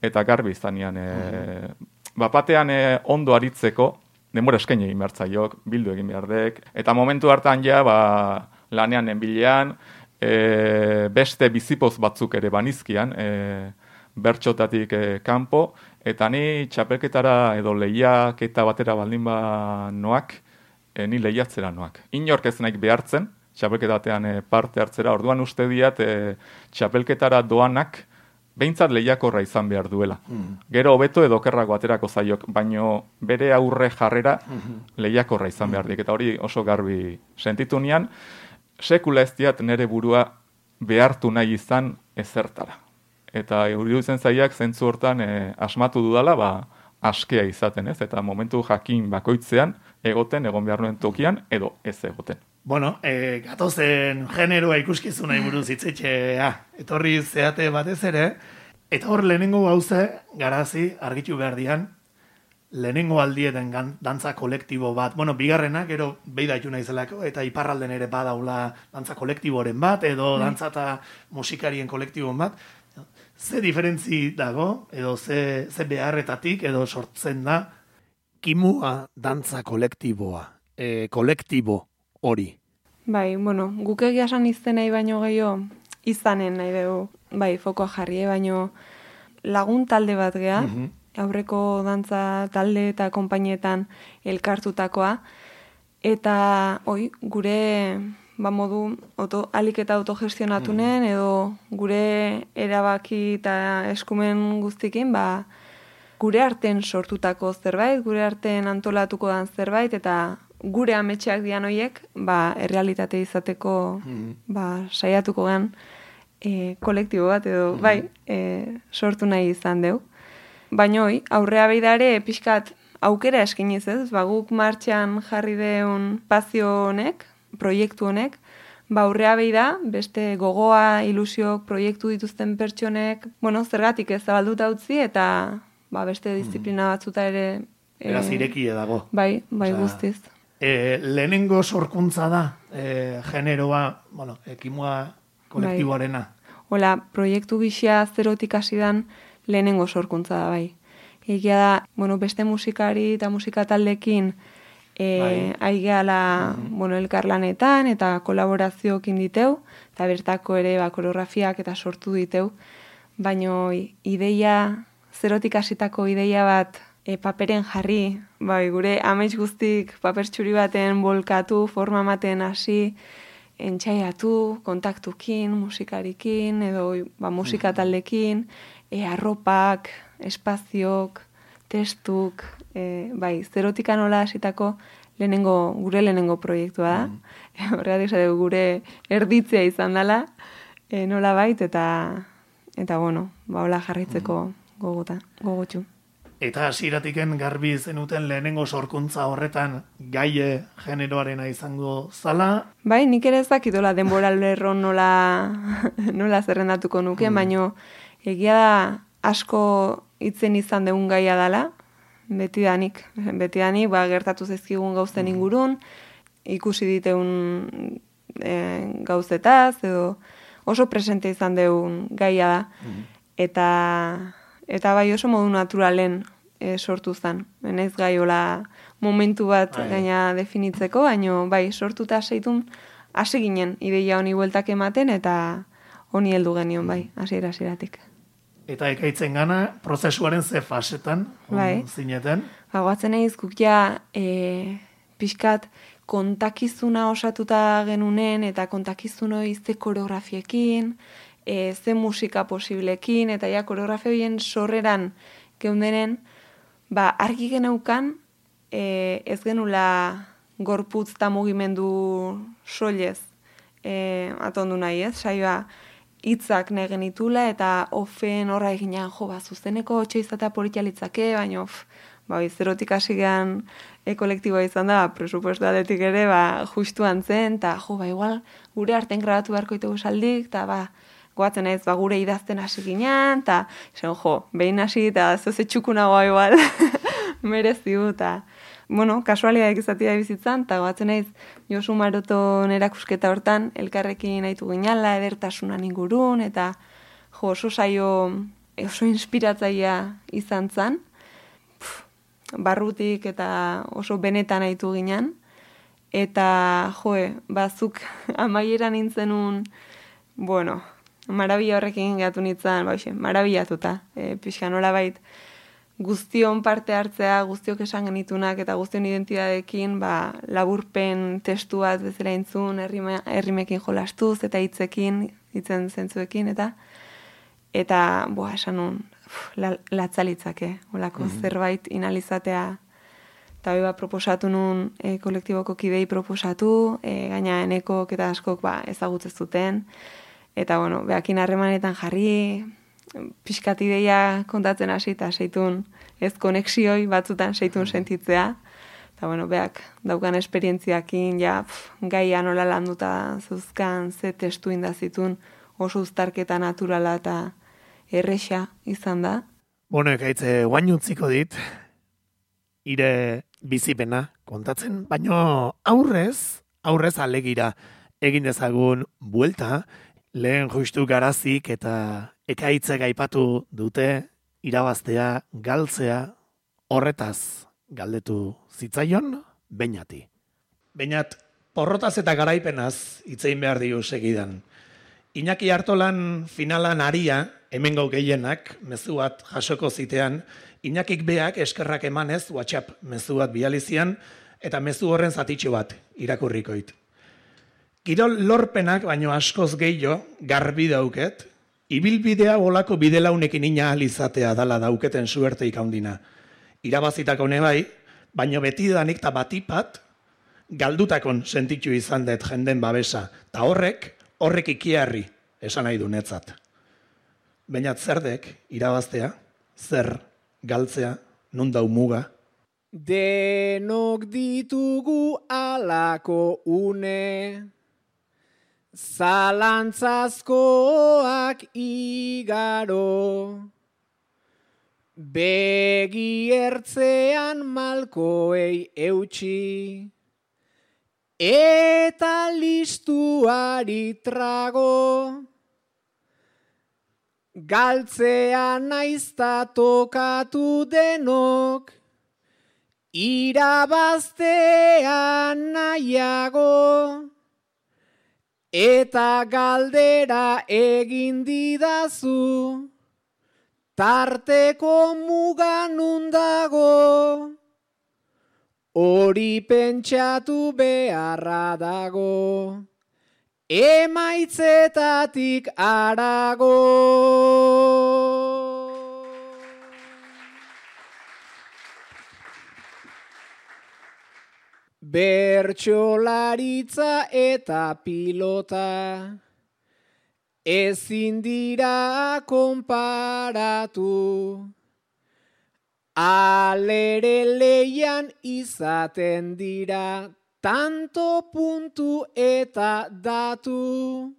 eta garbi izan nian, e, mm. Bapatean eh, ondo aritzeko, denbora eskaini egin behar zaiok, bildu egin behar dek, eta momentu hartan ja, ba, lanean enbilean, e, beste bizipoz batzuk ere banizkian, e, bertxotatik e, kanpo, eta ni txapelketara edo lehiaketa batera baldin ba noak, e, ni lehiatzera noak. Inork ez naik behartzen, txapelketa batean e, parte hartzera, orduan uste diat e, txapelketara doanak, behintzat lehiakorra izan behar duela. Mm. Gero hobeto edo okerrako aterako zaiok, baino bere aurre jarrera lehiakorra izan behar dik. Eta hori oso garbi sentitu nian, sekula ez diat nere burua behartu nahi izan ezertara. Eta iruditzen zaiak zentzu hortan e, asmatu dudala, ba, askea izaten, ez? Eta momentu jakin bakoitzean egoten, egon behar nuen tokian, edo ez egoten. Bueno, e, gatozen generoa ikuskizuna buruz hitzetxea, etorri zeate batez ere, eta hor lehenengo gauze, garazi, argitu behar dian, lehenengo aldieten dantza kolektibo bat, bueno, bigarrena, gero beidaitu naizelako, eta iparralden ere badaula dantza kolektiboren bat, edo dantza eta musikarien kolektiboen bat, ze diferentzi dago, edo ze, ze beharretatik, edo sortzen da, kimua dantza kolektiboa, e, kolektibo hori. Bai, bueno, guk egia esan izten nahi baino gehiago izanen nahi dugu, bai, fokoa jarri, baino lagun talde bat geha, mm-hmm. aurreko dantza talde eta konpainietan elkartutakoa, eta oi, gure ba modu auto, alik eta autogestionatunen, mm-hmm. edo gure erabaki eta eskumen guztikin, ba, gure arten sortutako zerbait, gure arten antolatuko dan zerbait, eta gure ametxeak dian hoiek, ba, errealitate izateko, mm-hmm. ba, saiatuko gan e, kolektibo bat, edo, mm-hmm. bai, e, sortu nahi izan deu. Baina hoi, aurrea beidare, pixkat aukera eskiniz ez, ba, guk martxan jarri deun pazio honek, proiektu honek, ba, aurrea beida, beste gogoa, ilusiok, proiektu dituzten pertsonek, bueno, zergatik ez zabalduta utzi, eta ba, beste disiplina batzuta ere... E, Eraz irekie dago. Bai, bai, Osa, guztiz. E, lehenengo sorkuntza da, e, generoa, bueno, ekimua kolektiboarena. Bai. Hola, proiektu gixia zerotik hasidan lehenengo sorkuntza da, bai. Egia da, bueno, beste musikari eta musika taldekin E, Aigeala, mm-hmm. bueno, elkarlanetan eta kolaborazioekin diteu, eta bertako ere ba, koreografiak eta sortu diteu, baino ideia, zerotik hasitako ideia bat e, paperen jarri, bai, gure amets guztik paper txuri baten bolkatu, forma ematen hasi, entxaiatu, kontaktukin, musikarikin, edo ba, musika taldekin, e, arropak, espaziok, testuk, e, bai, zerotika nola hasitako lehenengo, gure lehenengo proiektua da. Mm. Horregatik zade gure erditzea izan dela, e, nola bait, eta, eta bueno, ba, hola jarraitzeko mm. goguta, gogotxu. Eta hasieratiken garbi zenuten lehenengo sorkuntza horretan gaie generoarena izango zala? Bai, nik ere ez dakitola denbora lerron nola, nola zerrendatuko nuke, mm. baino egia da asko hitzen izan deun gaia dela, betidanik, betidanik, ba, gertatu zaizkigun gauzen ingurun, ikusi diteun e, gauzetaz, edo oso presente izan deun gaia da, mm. eta, eta bai oso modu naturalen e, sortu zen. Benaiz gaiola momentu bat Ai. gaina definitzeko, baino bai sortuta seitun hasi ginen ideia honi bueltak ematen, eta honi heldu genion bai, hasiera hasieratik. Eta ekaitzen gana, prozesuaren ze fasetan, bai. zineten? Bagoatzen egin guk ja, e, pixkat kontakizuna osatuta genunen, eta kontakizun hori ze koreografiekin, e, ze musika posiblekin, eta ja koreografia horien sorreran geundenen, ba, argi geneukan, e, ez genula gorputz eta mugimendu soilez e, atondu nahi ez, saioa, hitzak nahi genitula, eta ofen horra eginan, jo, ba, zuzeneko otxo izatea politalitzake, baina, of, ba, zerotik hasi gehan e, kolektiboa izan da, presupuesto aletik ere, ba, justuan zen, eta, jo, ba, igual, gure arten grabatu beharko itugu saldik, eta, ba, goatzen ez, ba, gure idazten hasi ginen, eta, zen, jo, behin hasi, eta zoze txukunagoa igual, mereziu, eta, bueno, kasualiak izatea bizitzan, eta goatzen naiz Josu Maroton erakusketa hortan, elkarrekin nahitu ginala, edertasunan ingurun, eta jo, oso saio, oso inspiratzaia izan zan, Pff, barrutik eta oso benetan nahitu ginen, eta joe, bazuk amaieran nintzenun, bueno, marabila horrekin gatu nintzen, ba, marabillatuta, e, pixka nola bait, guztion parte hartzea, guztiok esan genitunak eta guztion identidadekin, ba, laburpen testu bat bezala intzun, errime, errimekin jolastuz eta hitzekin, hitzen zentzuekin, eta eta, boa, esan nun, la, latzalitzake, olako mm-hmm. zerbait inalizatea, eta hori ba, proposatu nun e, kolektiboko kidei proposatu, e, gaina enekok eta askok ba, ezagutzen zuten, eta, bueno, behakin harremanetan jarri, pixkat ideia kontatzen hasi eta seitun ez konexioi batzutan seitun sentitzea. Eta bueno, beak daukan esperientziakin ja pf, gaia nola landuta zuzkan ze testu indazitun oso uztarketa naturala eta erresa izan da. Bueno, ekaitze guain utziko dit, ire bizipena kontatzen, baino aurrez, aurrez alegira egin dezagun buelta, lehen justu garazik eta ekaitzek aipatu dute irabaztea, galtzea, horretaz galdetu zitzaion, Beñati. Beñat, porrotaz eta garaipenaz hitzein behar diu segidan. Iñaki Artolan finalan aria, hemengo gehienak, mezu bat jasoko zitean, Iñakik beak eskerrak emanez WhatsApp mezu bat bializian, eta mezu horren zatitxo bat irakurrikoit. Kirol lorpenak, baino askoz gehiago, garbi dauket, ibilbidea bolako bidelaunekin ina alizatea dala dauketen suerteik handina. Irabazitako nebai, baino betidanik eta batipat, galdutakon sentitu izan dut jenden babesa, eta horrek, horrek ikiarri, esan nahi du netzat. Baina zerdek, irabaztea, zer, galtzea, nun dau muga? Denok ditugu alako une, zalantzazkoak igaro, begi ertzean malkoei eutxi, eta listuari trago, galtzea naizta tokatu denok, irabaztean nahiago, eta galdera egin didazu, tarteko mugan undago, hori pentsatu beharra dago, emaitzetatik arago. Bertsolaritza eta pilota ezin dira konparatu, alere leian izaten dira tanto puntu eta datu,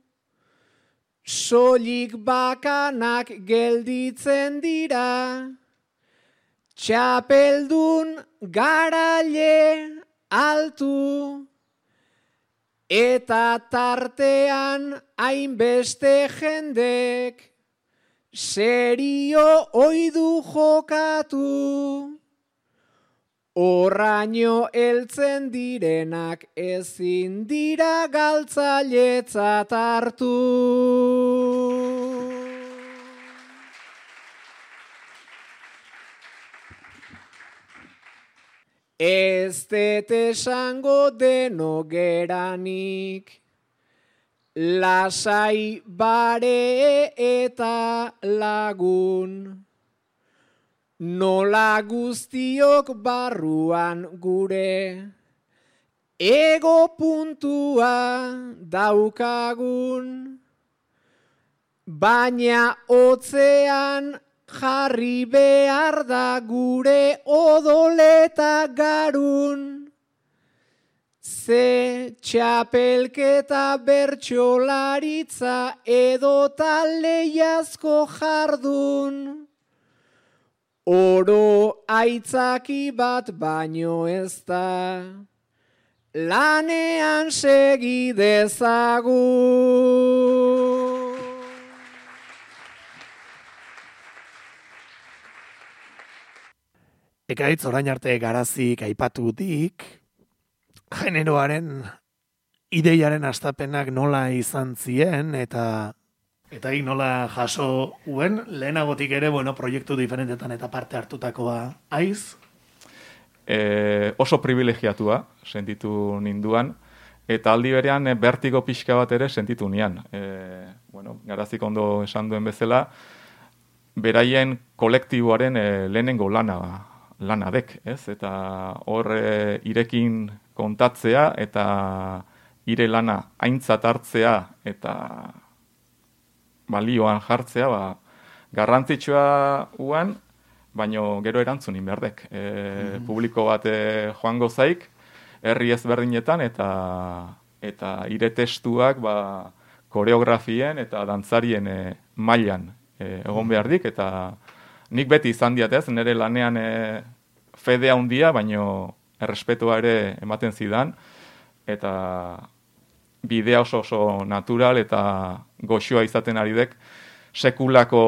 soilik bakanak gelditzen dira, txapeldun garaile altu, eta tartean hainbeste jendek serio oidu jokatu, horraino heltzen direnak ezin dira galtzailetzat hartu. Ez dut esango deno geranik, lasai bare eta lagun, nola guztiok barruan gure, ego puntua daukagun, baina hotzean jarri behar da gure odoleta garun, ze txapelketa bertsolaritza edota lehiazko jardun, oro aitzaki bat baino ez da, lanean segi dezagun. Ekaitz orain arte garazik aipatutik, generoaren ideiaren astapenak nola izan zien eta eta hik nola jaso uen, lehenagotik ere, bueno, proiektu diferentetan eta parte hartutakoa aiz? E, oso privilegiatua sentitu ninduan, eta aldi berean bertigo pixka bat ere sentitu nian. E, bueno, garazik ondo esan duen bezala, beraien kolektiboaren e, lehenengo lana lanadek, ez? Eta hor e, irekin kontatzea eta ire lana aintzat hartzea eta balioan jartzea, ba, garrantzitsua uan, baino gero erantzunin berdek. E, mm-hmm. Publiko bat e, joango zaik, herri ezberdinetan eta eta ire testuak ba, koreografien eta dantzarien e, mailan e, egon behar dik, eta nik beti izan diatez, nire lanean e, fedea handia, baino errespetua ere ematen zidan, eta bidea oso oso natural eta goxoa izaten ari dek, sekulako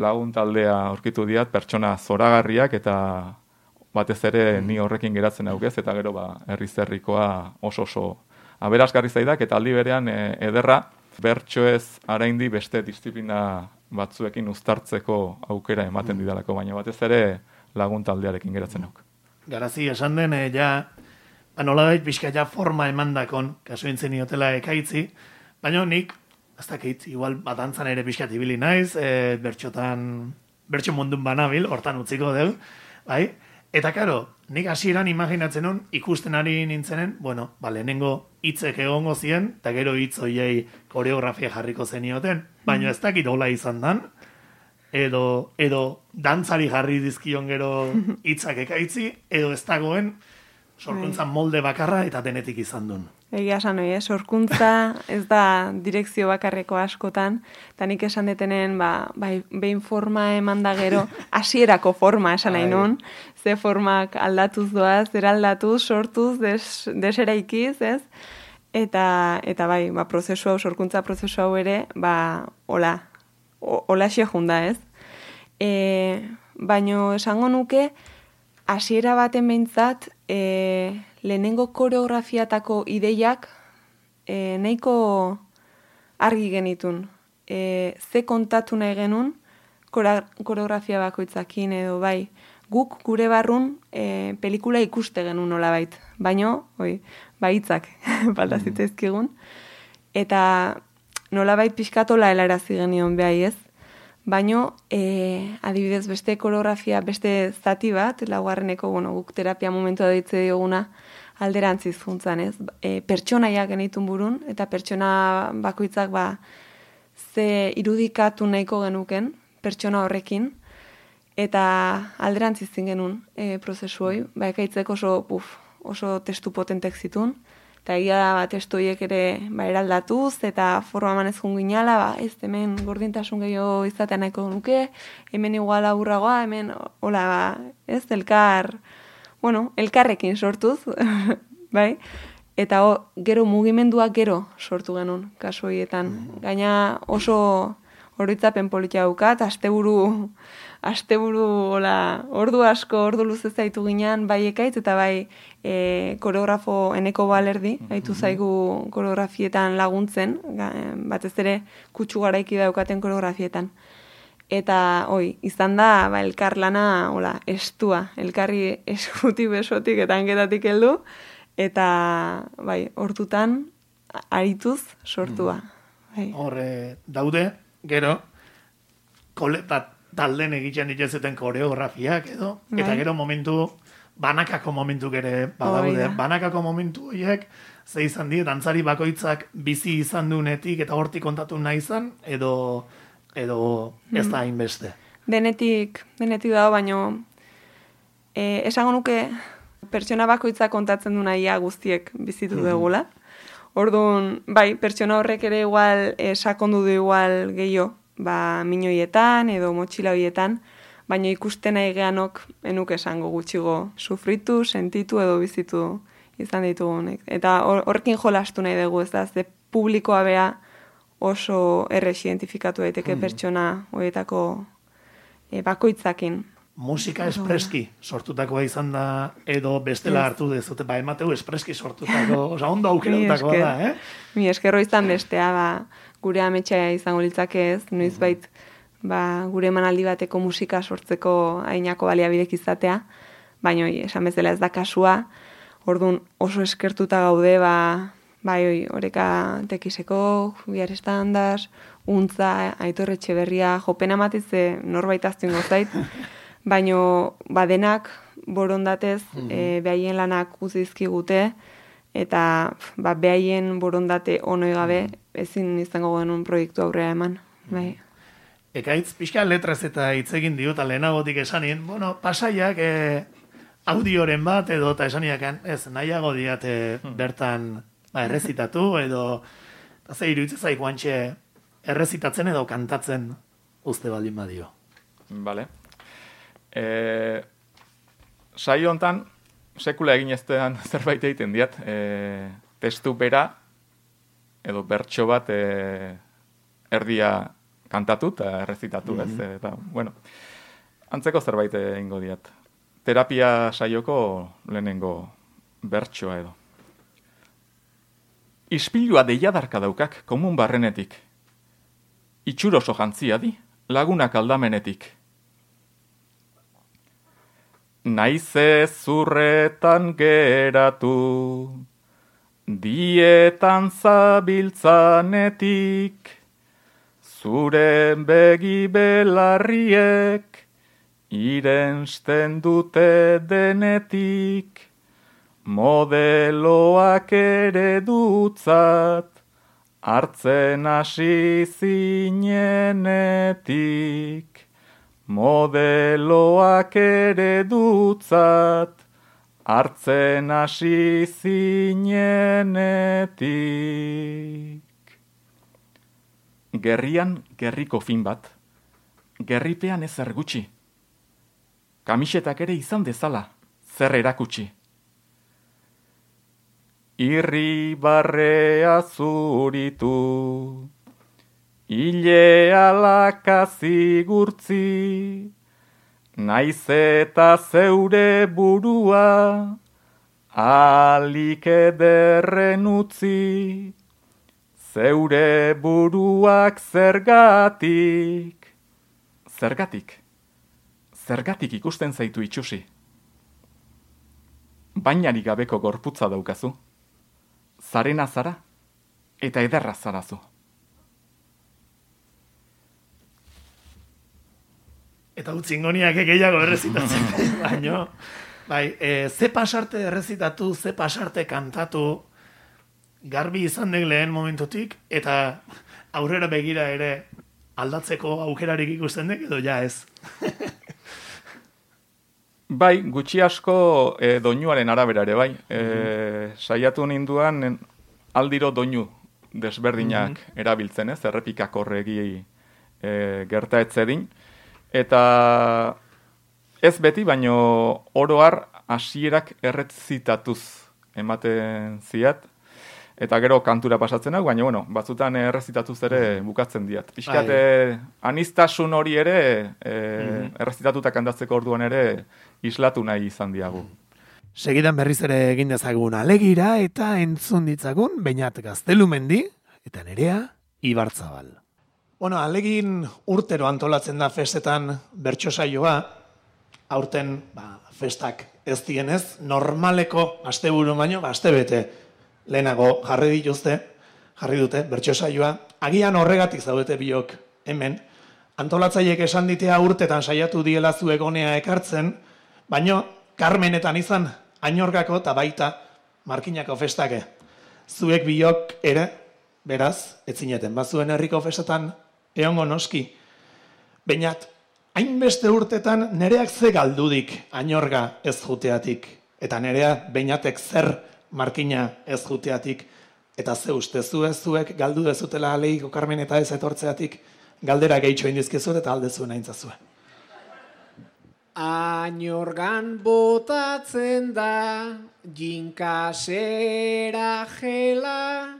lagun taldea aurkitu diat, pertsona zoragarriak, eta batez ere ni horrekin geratzen aukez, eta gero ba, herri-zerrikoa oso oso aberasgarri zaidak, eta aldi berean e, ederra, bertsoez araindi beste disiplina batzuekin uztartzeko aukera ematen didalako, baina batez ere lagun taldearekin geratzen auk. Garazi, esan den, e, ja, ba, nolabait pixka ja forma emandakon, kasu intzen iotela ekaitzi, baina nik, ez dakit, igual batantzan ere pixka tibili naiz, e, bertxotan, bertxo mundun banabil, hortan utziko dugu, bai? Eta karo, nik hasieran imaginatzen hon, ikusten ari nintzenen, bueno, ba, lehenengo hitzek egongo zien, eta gero hitz hoiei koreografia jarriko zenioten, baina ez dakit hola izan dan, edo, edo dantzari jarri dizkion gero hitzak ekaitzi, edo ez dagoen sorkuntzan molde bakarra eta denetik izan duen. Egia esan hori, eh? Sorkuntza ez da direkzio bakarreko askotan, eta nik esan detenen, ba, bai, behin forma eman da gero, hasierako forma esan nahi nun, ze formak aldatuz doaz, eraldatuz, sortuz, des, deseraikiz, ez? Eta, eta bai, ba, prozesu hau, sorkuntza prozesu hau ere, ba, hola, hola xe junda, ez? E, baino esango nuke, hasiera baten behintzat, e, lehenengo koreografiatako ideiak e, nahiko argi genitun. E, ze kontatu nahi genuen koreografia bakoitzakin edo bai. Guk gure barrun e, pelikula ikuste genuen nolabait. Baino, oi, baitzak falta zitzaizkigun. Eta nolabait pixkatola helarazi genion behai ez. Baino, e, adibidez, beste koreografia, beste zati bat, laugarreneko, bueno, guk terapia momentua ditze dioguna, alderantziz juntzan, ez? E, pertsonaiak genitun burun, eta pertsona bakoitzak ba, ze irudikatu nahiko genuken, pertsona horrekin, eta alderantziz genuen e, prozesu hoi, ba, ekaitzek oso, puf, oso testu potentek zitun, eta egia da, ba, testu horiek ere ba, eraldatuz, eta forma manez junginala, ba, ez, hemen gordintasun gehiago izatea nahiko nuke, hemen igual aburragoa, hemen, hola, ba, ez, elkar, bueno, elkarrekin sortuz, bai, eta o, gero mugimenduak gero sortu genuen, kasu horietan. Gaina oso oroitzapen politia daukat, asteburu, asteburu, hola, ordu asko, ordu luze zaitu ginean, bai ekaitz, eta bai e, koreografo eneko balerdi, haitu zaigu koreografietan laguntzen, batez ere kutsu garaiki daukaten koreografietan. Eta, oi, izan da, ba, elkar lana, hola, estua, elkarri eskutik besotik eta hanketatik heldu, eta, bai, hortutan, arituz sortua. Bai. Horre, daude, gero, koleta talden egiten dituzeten koreografiak edo, bai. Eta gero momentu, banakako momentu ere badaude. Oh, banakako momentu horiek, ze izan die, dantzari bakoitzak bizi izan dunetik eta hortik kontatu nahi izan, edo... edo ez da hainbeste. Denetik, denetik dago, baino e, esango nuke pertsona bakoitza kontatzen du nahia guztiek bizitu dugula. Orduan, bai, pertsona horrek ere igual e, sakondu du igual gehiago, ba, minoietan edo motxila horietan, baina ikusten nahi geanok enuk esango gutxigo sufritu, sentitu edo bizitu izan ditugunek. Eta horrekin jolastu nahi dugu, ez da, ze publikoa bea oso errex identifikatu daiteke pertsona horietako e, bakoitzakin. Musika espreski sortutakoa izan da, edo bestela hartu dezute, ba, emateu espreski sortutako, oza, ondo aukeratutakoa da, eh? Mi eskerro izan bestea, ba, gure ametsa izango litzake ez, noiz bait, ba, gure emanaldi bateko musika sortzeko ainako baliabidek izatea, baina esan bezala ez da kasua, orduan oso eskertuta gaude, ba, bai, oi, oreka tekiseko, Biar Estandas, Untza, Aitor Etxeberria, jopena matitze norbait aztuen gozait, baino badenak borondatez e, behaien lanak uzizkigute, eta ba, behaien borondate onoi gabe ezin izango genuen proiektu aurrera eman. Bai. Ekaitz, pixka letrez eta hitz egin diota lehenagotik esanin, bueno, pasaiak e, audioren bat edo eta esaniakan, ez, nahiago diate bertan ba, errezitatu edo eta ze iruditzen zaigu antxe errezitatzen edo kantatzen uste baldin badio. Vale. E, saio hontan sekula egin eztean zerbait egiten diat, e, testu bera edo bertso bat e, erdia kantatu eta errezitatu ez. Mm-hmm. Eta, bueno, antzeko zerbait egingo diat. Terapia saioko lehenengo bertsoa edo. Ispilua deiadarka daukak komun barrenetik. Itxur oso jantzia di, lagunak aldamenetik. Naize zurretan geratu, dietan zabiltzanetik, zure begi belarriek, irensten dute denetik, modeloak ere dutzat, hartzen hasi zinenetik. Modeloak ere dutzat, hartzen hasi zinenetik. Gerrian gerriko fin bat, gerripean ezer gutxi. Kamisetak ere izan dezala, zer erakutsi. Irri barrea zuritu, ile alaka zigurtzi, naiz eta zeure burua, alik ederren utzi, zeure buruak zergatik, zergatik, zergatik ikusten zaitu itxusi. Bainarik gabeko gorputza daukazu, zarena zara eta ederra zarazu. Eta utzingoniak gehiago errezitatzen, baino, bai, e, ze pasarte errezitatu, ze pasarte kantatu, garbi izan den lehen momentutik, eta aurrera begira ere aldatzeko aukerarik ikusten dek, edo ja ez. Bai, gutxi asko e, doinuaren arabera ere, bai. E, saiatu ninduan aldiro doinu desberdinak mm-hmm. erabiltzen, ez, errepikak horregi e, gerta etzedin. Eta ez beti, baino oroar hasierak errezitatuz ematen ziat. Eta gero kantura pasatzen hau, baina bueno, batzutan errezitatuz ere bukatzen diat. Piskat, anistasun hori ere, e, mm-hmm. errezitatuta kantatzeko orduan ere, islatu nahi izan diagu. Segidan berriz ere egin dezagun alegira eta entzun ditzagun Beñat Gaztelumendi eta Nerea Ibarzabal. Bueno, alegin urtero antolatzen da festetan bertso saioa, aurten ba, festak ez dienez, normaleko asteburu baino, ba, astebete lehenago jarri dituzte, jarri dute bertso saioa, agian horregatik zaudete biok hemen, antolatzaileek esan ditea urtetan saiatu diela zu egonea ekartzen, baino Karmenetan izan Ainorgako eta baita Markinako festake. Zuek biok ere, beraz, etzineten, bazuen herriko festetan eongo noski. Beñat, hainbeste urtetan nereak ze galdudik Ainorga ez juteatik, eta nerea Beñatek zer Markina ez juteatik, eta ze uste zu zuek galdu dezutela aleiko Karmeneta ez etortzeatik, galdera gehitxo indizkezut eta aldezuen aintzazue. Ainorgan botatzen da jinkasera jela,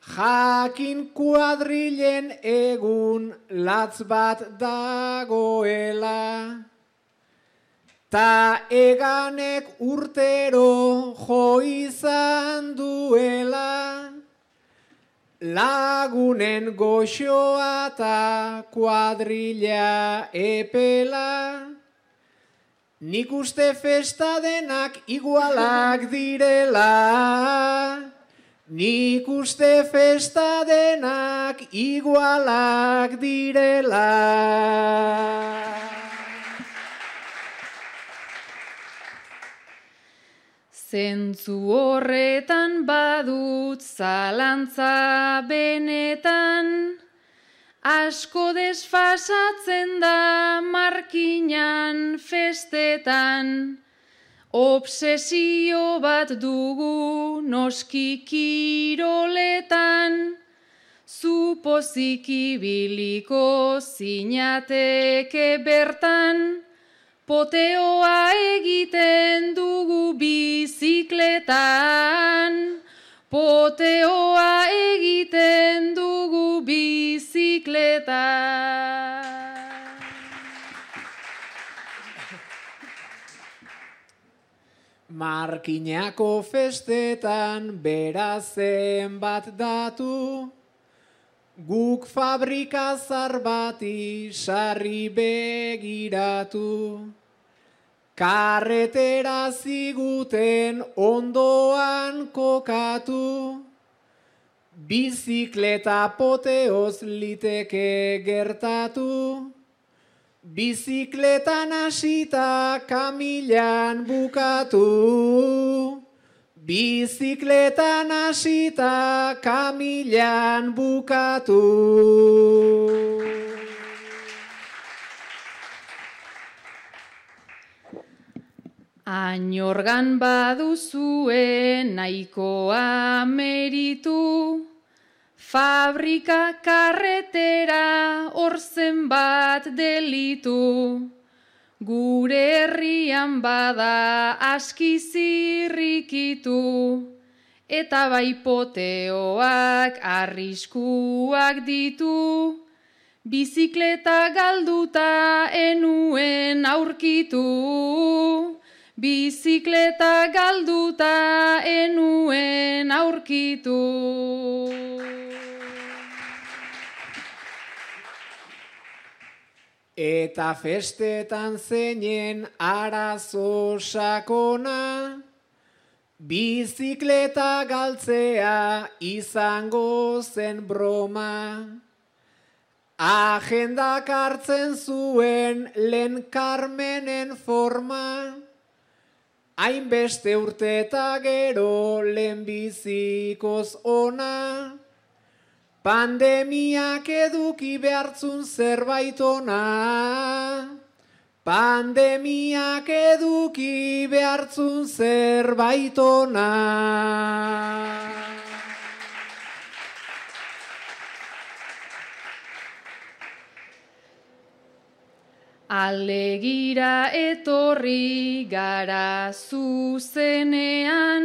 jakin kuadrilen egun latz bat dagoela, ta eganek urtero jo izan duela, lagunen goxoa eta kuadrilla epela, nik uste festa denak igualak direla, nik uste festa denak igualak direla. Zentzu horretan badut zalantza benetan, asko desfasatzen da Markinan festetan, obsesio bat dugu noski kiroletan, zu pozik ibiliko zinateke bertan, poteoa egiten dugu bizikletan, poteoa egiten dugu bizikletan. Markinako festetan berazen bat datu, guk fabrika zar bati sarri begiratu. Karretera ziguten ondoan kokatu, bizikleta poteoz liteke gertatu, bizikletan hasita kamilan bukatu, bizikletan hasita kamilan bukatu. Ainorgan baduzue nahikoa meritu, fabrika karretera orzen bat delitu, gure herrian bada aski zirrikitu, eta bai poteoak arriskuak ditu, bizikleta galduta enuen aurkitu, bizikleta galduta enuen aurkitu. Eta festetan zeinen arazo sakona, bizikleta galtzea izango zen broma. Agendak hartzen zuen lehen Carmenen forma, hainbeste urte eta gero lehen bizikoz ona. Pandemiak eduki behartzun zerbait ona, pandemiak eduki behartzun zerbait ona. Alegira etorri gara zuzenean,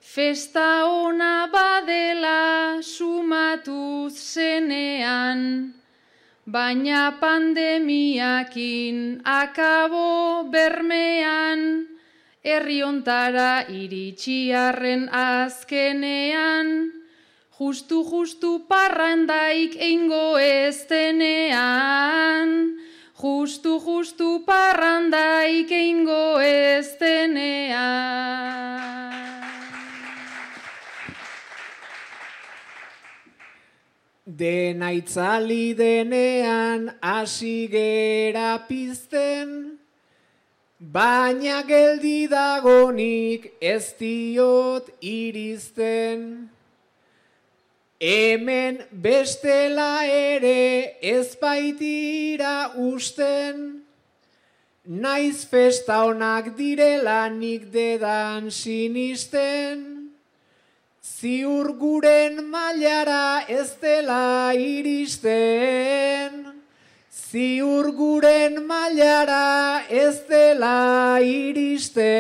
festa ona badela sumatuz zenean, baina pandemiakin akabo bermean, herri hontara iritsiarren azkenean, justu-justu parrandaik eingo ez denean, justu-justu parrandaik eingo ez denean. Dena itzali denean hasi gera pizten, baina geldi dagonik ez diot iristen. Hemen bestela ere ez baitira usten, naiz festa onak direla nik dedan sinisten. Ziur guren mailara ez dela iristen, ziur guren mailara ez dela iristen.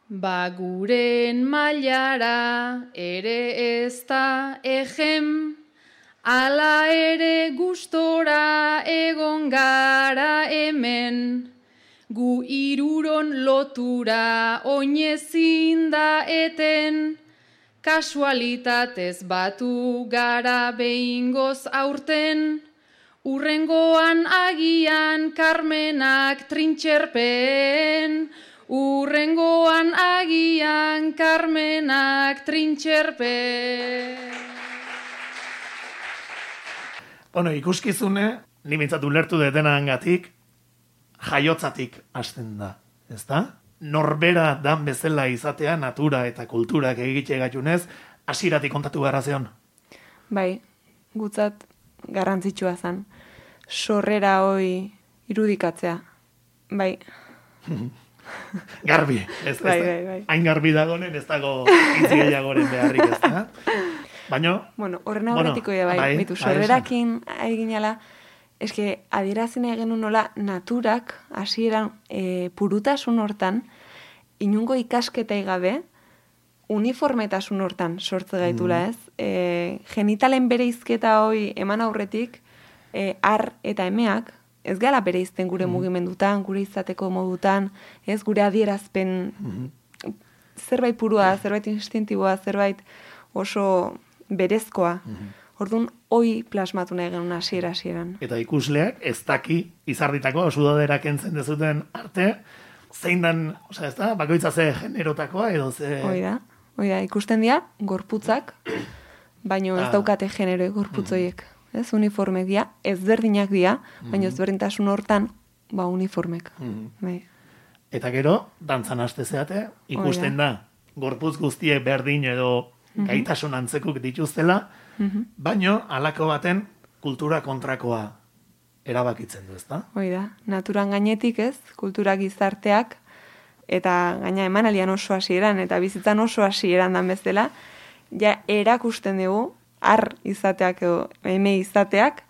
Ba guren mailara ere ez da ejem, ala ere gustora egon gara hemen, gu iruron lotura oinezin da eten, kasualitatez batu gara behingoz aurten, urrengoan agian Carmenak trintxerpen, urrengoan agian Carmenak trintxerpen. Bueno, ikuskizune, ni mintzat ulertu detenangatik, jaiotzatik hasten da, ezta? Norbera dan bezala izatea natura eta kulturak egite gaitunez, hasiratik kontatu beharra zeon. Bai, gutzat garrantzitsua zen. Sorrera hoi irudikatzea. Bai. Garbi, ez da? Bai, bai, bai. Hain garbi dagonen ez dago intzigehiagoren beharrik, ez da? Baina... Bueno, horren aurretiko bueno, bai, bai, bitu, sorrerakin eginala, eske adierazin egin nola naturak hasieran e, purutasun hortan, inungo ikasketa gabe, uniformetasun hortan sortze gaitula, ez? E, genitalen bereizketa hoi eman aurretik, e, ar eta emeak, ez gala bereizten gure mm. mugimendutan, gure izateko modutan, ez gure adierazpen mm. zerbait purua, zerbait instintiboa, zerbait oso berezkoa. Mm-hmm. Orduan, hoi plasmatu nahi genuen hasiera hasieran. Eta ikusleak ez daki izarditako sudadera kentzen dezuten arte, zein dan, oza, ez da, bakoitza ze generotakoa edo ze... Hoi da, hoi da, ikusten dira, gorputzak, baino ez ah. daukate genero gorputzoiek. Mm-hmm. Ez, uniformek dira, ezberdinak dira, mm-hmm. baino ezberdintasun hortan, ba, uniformek. Mm-hmm. Bai. Eta gero, dantzan haste zeate, ikusten da, gorputz guztiek berdin edo gaitasun antzekuk dituztela, mm-hmm. baino halako baten kultura kontrakoa erabakitzen du, ezta? Hoi da, naturan gainetik ez, kultura gizarteak, eta gaina emanalian oso hasieran, eta bizitzan oso hasieran dan bezala, ja erakusten dugu, ar izateak edo eme izateak,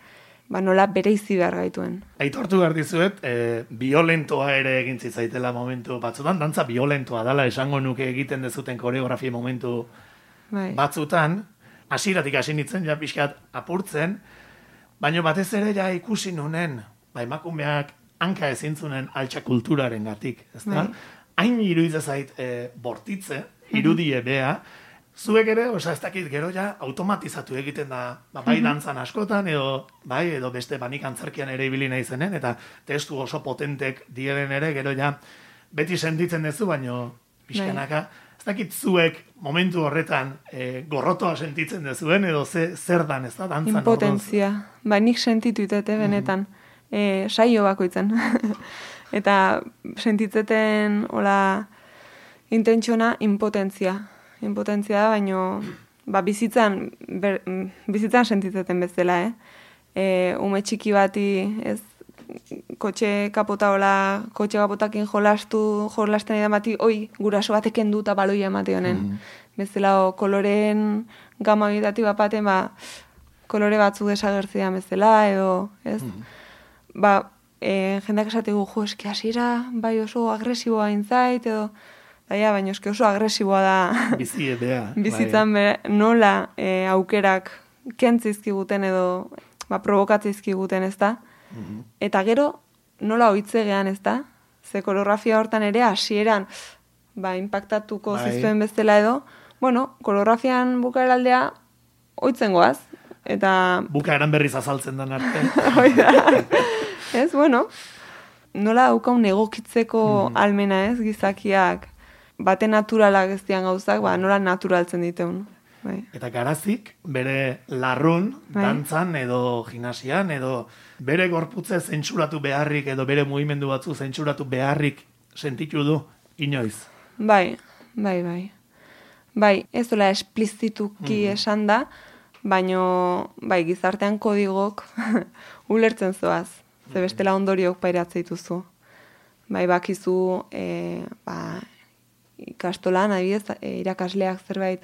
ba, nola bereizi behar gaituen. Aitortu behar dizuet, e, violentoa ere egin zitzaitela momentu batzutan, dantza violentoa dala esango nuke egiten dezuten koreografia momentu bai. batzutan, hasieratik hasi nintzen, ja pixkat apurtzen, baina batez ere ja ikusi nunen, ba, emakumeak hanka ezintzunen altxa kulturaren gatik, ezta? Bai. Hain iruditzen zait e, bortitze, irudie bea, zuek ere, oza, ez dakit gero ja automatizatu egiten da, ba, bai dantzan askotan, edo bai, edo beste banik antzerkian ere ibili nahi zenen, eta testu oso potentek diren ere, gero ja beti sentitzen duzu, baino pixkanaka, ez dakit zuek momentu horretan e, gorrotoa sentitzen duzuen, edo ze, zer dan, ez da, dantzan. Impotentzia, ba, nik sentitu itete benetan, e, saio bakoitzen. Eta sentitzeten, hola, intentsiona impotentzia. Impotentzia da, baino, ba, bizitzan, ber, bizitzan sentitzeten bezala, eh? E, ume txiki bati, ez, kotxe kapota hola, kotxe kapotakin jolastu, jolasten edan bati, oi, guraso bateken du eta baloia emate honen. Mm-hmm. Bezala, o, koloreen gama bitati bapaten, ba, kolore batzu desagertzean bezala, edo, ez? Mm-hmm. Ba, e, jendeak esategu, jo, eski hasiera, bai oso agresiboa intzait, edo, Baina, baina eske oso agresiboa da. Bizi ebea. Bizitzan bere, nola e, aukerak kentzizkiguten edo ba, provokatzizkiguten, ez da? Mm-hmm. Eta gero, nola oitzegean, ez da? Ze koreografia hortan ere hasieran ba, impactatuko bai. Zizuen bezala edo, bueno, koreografian bukaeraldea oitzen goaz. Eta... Bukaeran berriz azaltzen den arte. Oida. Ez, bueno, nola daukaun egokitzeko mm-hmm. almena, ez, gizakiak. Bate naturalak ez dian gauzak, ba, nola naturaltzen diteun. Bai. Eta Garazik, bere larrun, bai. Dantzan edo gimnasian, edo bere gorputze zentsuratu beharrik, edo bere mugimendu batzu zentsuratu beharrik sentitu du, inoiz. Bai, bai, bai. Bai, ez dola esplizituki mm-hmm. esan da, baino, bai, gizartean kodigok ulertzen zoaz. Ze bestela ondoriok pairatzea dituzu. Bai, bakizu, e, ba, ikastolan, adibidez, irakasleak zerbait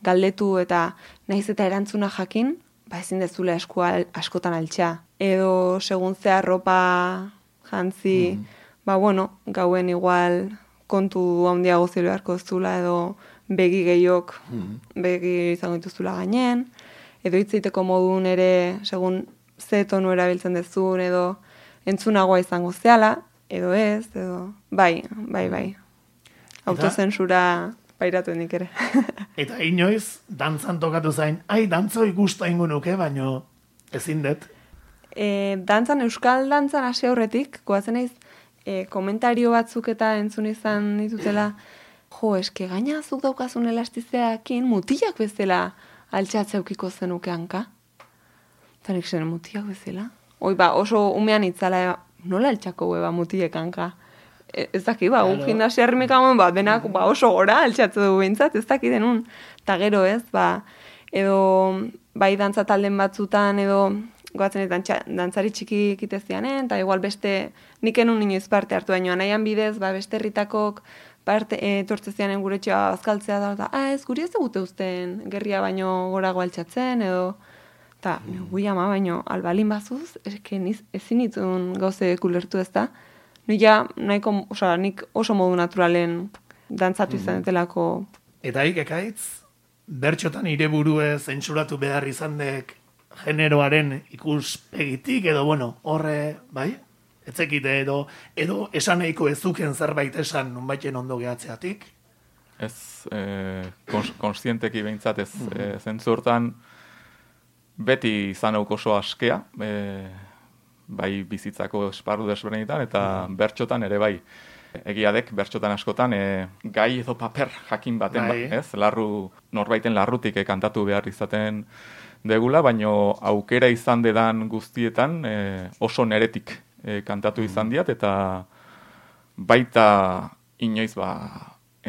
galdetu eta naiz eta erantzuna jakin, ba ezin dezula eskua askotan altxa. Edo segun ze arropa jantzi, mm. ba bueno, gauen igual kontu handiago zelo beharko zula edo begi gehiok mm. begi izango dituzula gainen, edo hitzeiteko modun ere segun ze tonu erabiltzen dezun edo entzunagoa izango zeala, edo ez, edo bai, bai, bai. Autozensura pairatu nik ere. Eta inoiz, dantzan tokatu zain, ai, dantzo ikustu ingo nuke, baino ezin dut. E, dantzan, euskal dantzan hasi aurretik, goazen naiz, e, komentario batzuk eta entzun izan ditutela, jo, eske gaina zuk daukazun elastizeakin mutilak bezala altxatzeukiko zenuke hanka. Eta nik zen mutilak bezala. Oi, ba, oso umean itzala, nola altxako beba mutilek hanka. Ez daki, ba, un gimnasia hermikamoen, ba, denak ba, oso gora altxatzu dugu bintzat, ez daki denun. Eta gero ez, ba, edo bai dantza talden batzutan, edo goatzen ez dantzari txiki ikitezianen, eta igual beste nik enun inoiz parte hartu baino, anaian bidez, ba, beste herritakok parte e, tortzezianen gure txoa azkaltzea da, eta, ah, ez, guri ez egute uzten gerria baino gorago altxatzen, edo, eta, mm. gui ama baino, albalin bazuz, ezken ezin itzun gauze kulertu ez da, nik ja, nahiko, oza, nik oso modu naturalen dantzatu izan etelako. Eta ik ekaitz, bertxotan ire burue zentsuratu behar izan dek generoaren ikuspegitik, edo, bueno, horre, bai? Etzekite, edo, edo esan nahiko ezuken zerbait esan nonbaiten ondo gehatzeatik? Ez, eh, kons konstienteki behintzat ez, mm -hmm. eh, zentzurtan beti izan hauk oso askea, eh, bai bizitzako esparru desberdinetan, eta bertxotan ere bai. Egia dek, bertxotan askotan, e, gai edo paper jakin baten, bai. ba, ez? Larru, norbaiten larrutik e, kantatu behar izaten degula, baino aukera izan dedan guztietan e, oso neretik e, kantatu izan diat, eta baita inoiz ba,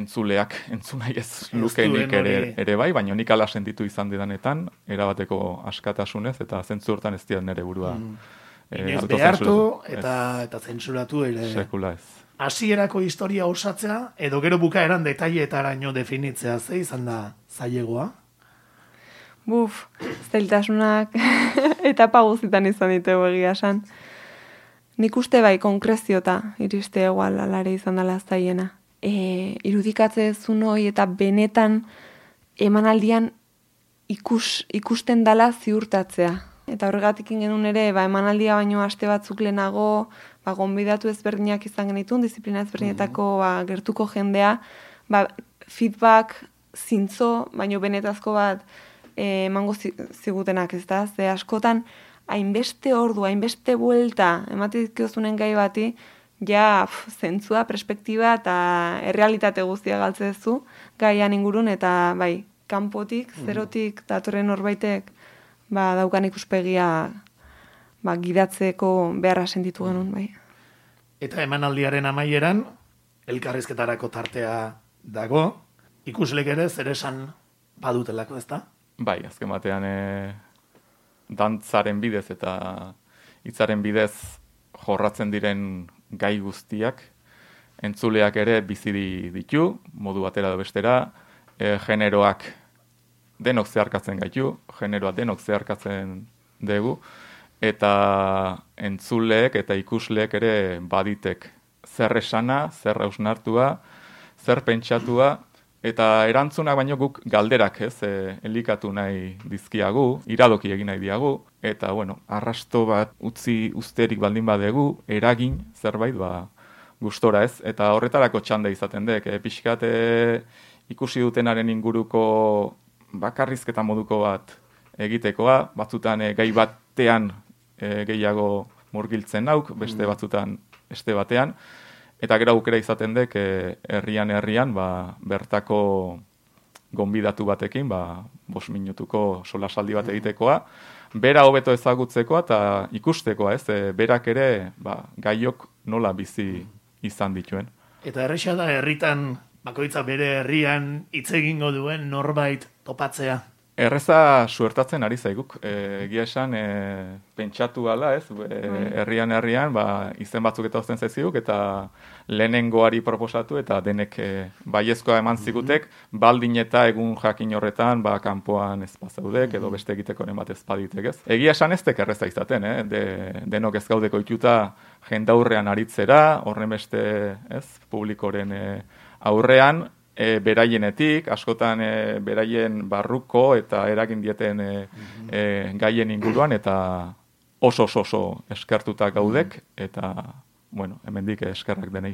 entzuleak entzunai ez lukeinik ere, ere bai, baino nik ala sentitu izan dedanetan, erabateko askatasunez, eta zentzu hortan ez diat nere burua. Mm. Inoiz behartu eta, eta zentsuratu ere. Sekula ez. Hasierako historia osatzea, edo gero bukaeran detailetaraino definitzea, ze izan da zailegoa? buf, zailtasunak etapa guztitan izan ditugu egia esan. Nik uste bai konkreziota iriste egual alare izan dela zaiena. E, irudikatze zun hoi eta benetan emanaldian ikus, ikusten dala ziurtatzea. Eta horregatik genuen ere, ba, emanaldia baino aste batzuk lehenago, ba, gonbidatu ezberdinak izan genitun, disiplina ezberdinetako ba, gertuko jendea, ba, feedback zintzo, baino benetazko bat e, emango zigutenak, ez da? Ze askotan, hainbeste ordu, hainbeste buelta, ematizkiozunen gai bati, ja, pf, zentzua, perspektiba eta errealitate guztia galtzezu gaian ingurun, eta bai, kanpotik, zerotik, datorren norbaitek, ba, daukan ikuspegia ba, gidatzeko beharra sentitu genuen, bai. Eta emanaldiaren amaieran, elkarrizketarako tartea dago, ikuslek ere zer esan badutelako, ezta? Bai, azken batean e, dantzaren bidez eta hitzaren bidez jorratzen diren gai guztiak, entzuleak ere bizi ditu, modu batera da bestera, e, generoak denok zeharkatzen gaitu, generoa denok zeharkatzen dugu, eta entzuleek eta ikusleek ere baditek zer esana, zer hausnartua, zer pentsatua, eta erantzunak baino guk galderak, ez, e, elikatu nahi dizkiagu, iradoki egin nahi diagu, eta, bueno, arrasto bat utzi usterik baldin badegu, eragin zerbait, ba, gustora, ez, eta horretarako txanda izaten dek, e, pixkat e, ikusi dutenaren inguruko bakarrizketa moduko bat egitekoa, batzutan e, gai batean e, gehiago murgiltzen nauk, beste batzutan este batean, eta gero aukera izaten dek herrian herrian ba, bertako gonbidatu batekin, ba, bos minutuko solasaldi bat egitekoa, bera hobeto ezagutzekoa eta ikustekoa, ez, e, berak ere ba, gaiok nola bizi izan dituen. Eta erresa da herritan bakoitza bere herrian hitz egingo duen norbait topatzea. Erreza suertatzen ari zaiguk. E, egia esan, e, pentsatu gala, ez, e, herrian herrian, ba, izen batzuk eta ozten zaiziguk, eta lehenengoari proposatu, eta denek e, baiezkoa eman zigutek, baldin eta egun jakin horretan, ba, kanpoan ez bazaudek, edo beste egitekoren bat ez baditek, ez. Egia esan ez tek erreza izaten, eh? De, denok ez gaudeko ituta jendaurrean aritzera, horren beste, ez, publikoren e, aurrean, E, beraienetik, askotan e, beraien barruko eta eragin dieten e, e, gaien inguruan, eta oso oso oso eskertuta gaudek, eta, bueno, hemendik eskerrak denei.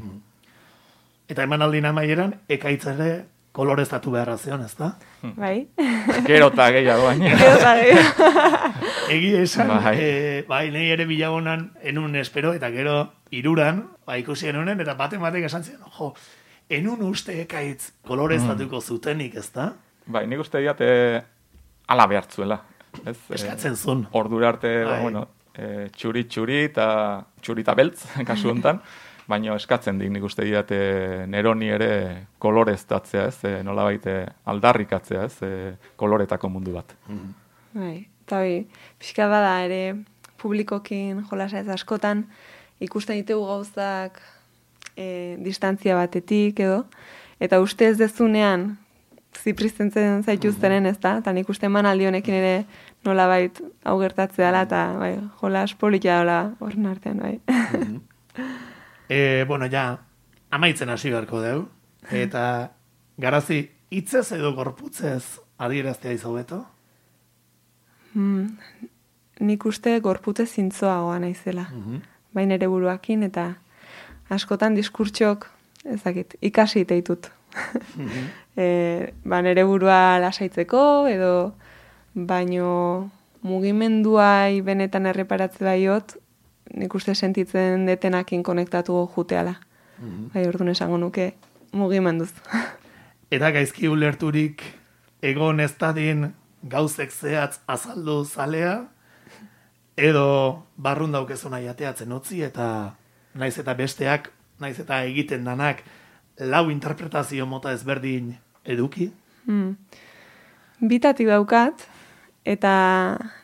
Eta emanaldin amaieran, ekaitz ere koloreztatu beharra zion, ez da? Bai. Gero eta gehiago baina. Gero eta gehiago. Egi esan, bai. E, bai, nahi ere bilagonan enun espero, eta gero iruran, ba, ikusi enunen, eta baten batek esan ziren, jo, enun uste ekaitz koloreztatuko zutenik, ez da? Bai, nik uste diate ala behartzuela. Ez, eskatzen zuen. E, ordura arte, ba, bueno, e, txuri txuri eta txuri eta beltz, kasu honetan, baina eskatzen dik nik uste diate neroni ere koloreztatzea, ez, e, nolabait aldarrikatzea, ez, e, koloretako mundu bat. Bai, eta bai, pixka bada ere publikokin jolasa ez askotan ikusten ditugu gauzak E, distantzia batetik edo, eta uste ez dezunean zipriztentzen zaituztenen, ez da? Eta nik uste emanaldi honekin ere nolabait hau gertatzea dela, eta bai, jolas politia dela horren artean, bai. e, bueno, ja, amaitzen hasi beharko deu, eta garazi, hitzez edo gorputzez adieraztea izobeto? Hmm, nik uste gorputez zintzoagoa naizela, Mm-hmm. baina ere buruakin, eta askotan diskurtsok, ezakit, ikasi iteitut. Mm-hmm. e, ba, nere burua lasaitzeko, edo baino mugimenduai benetan erreparatze baiot, nik uste sentitzen detenakin konektatu juteala. Mm-hmm. Bai, orduan esango nuke mugimenduz. Eta gaizki ulerturik egon ez dadin gauzek zehatz azaldu zalea, edo barrun daukezuna jateatzen utzi, eta naiz eta besteak, naiz eta egiten danak, lau interpretazio mota ezberdin eduki? Hmm. Bitatik daukat, eta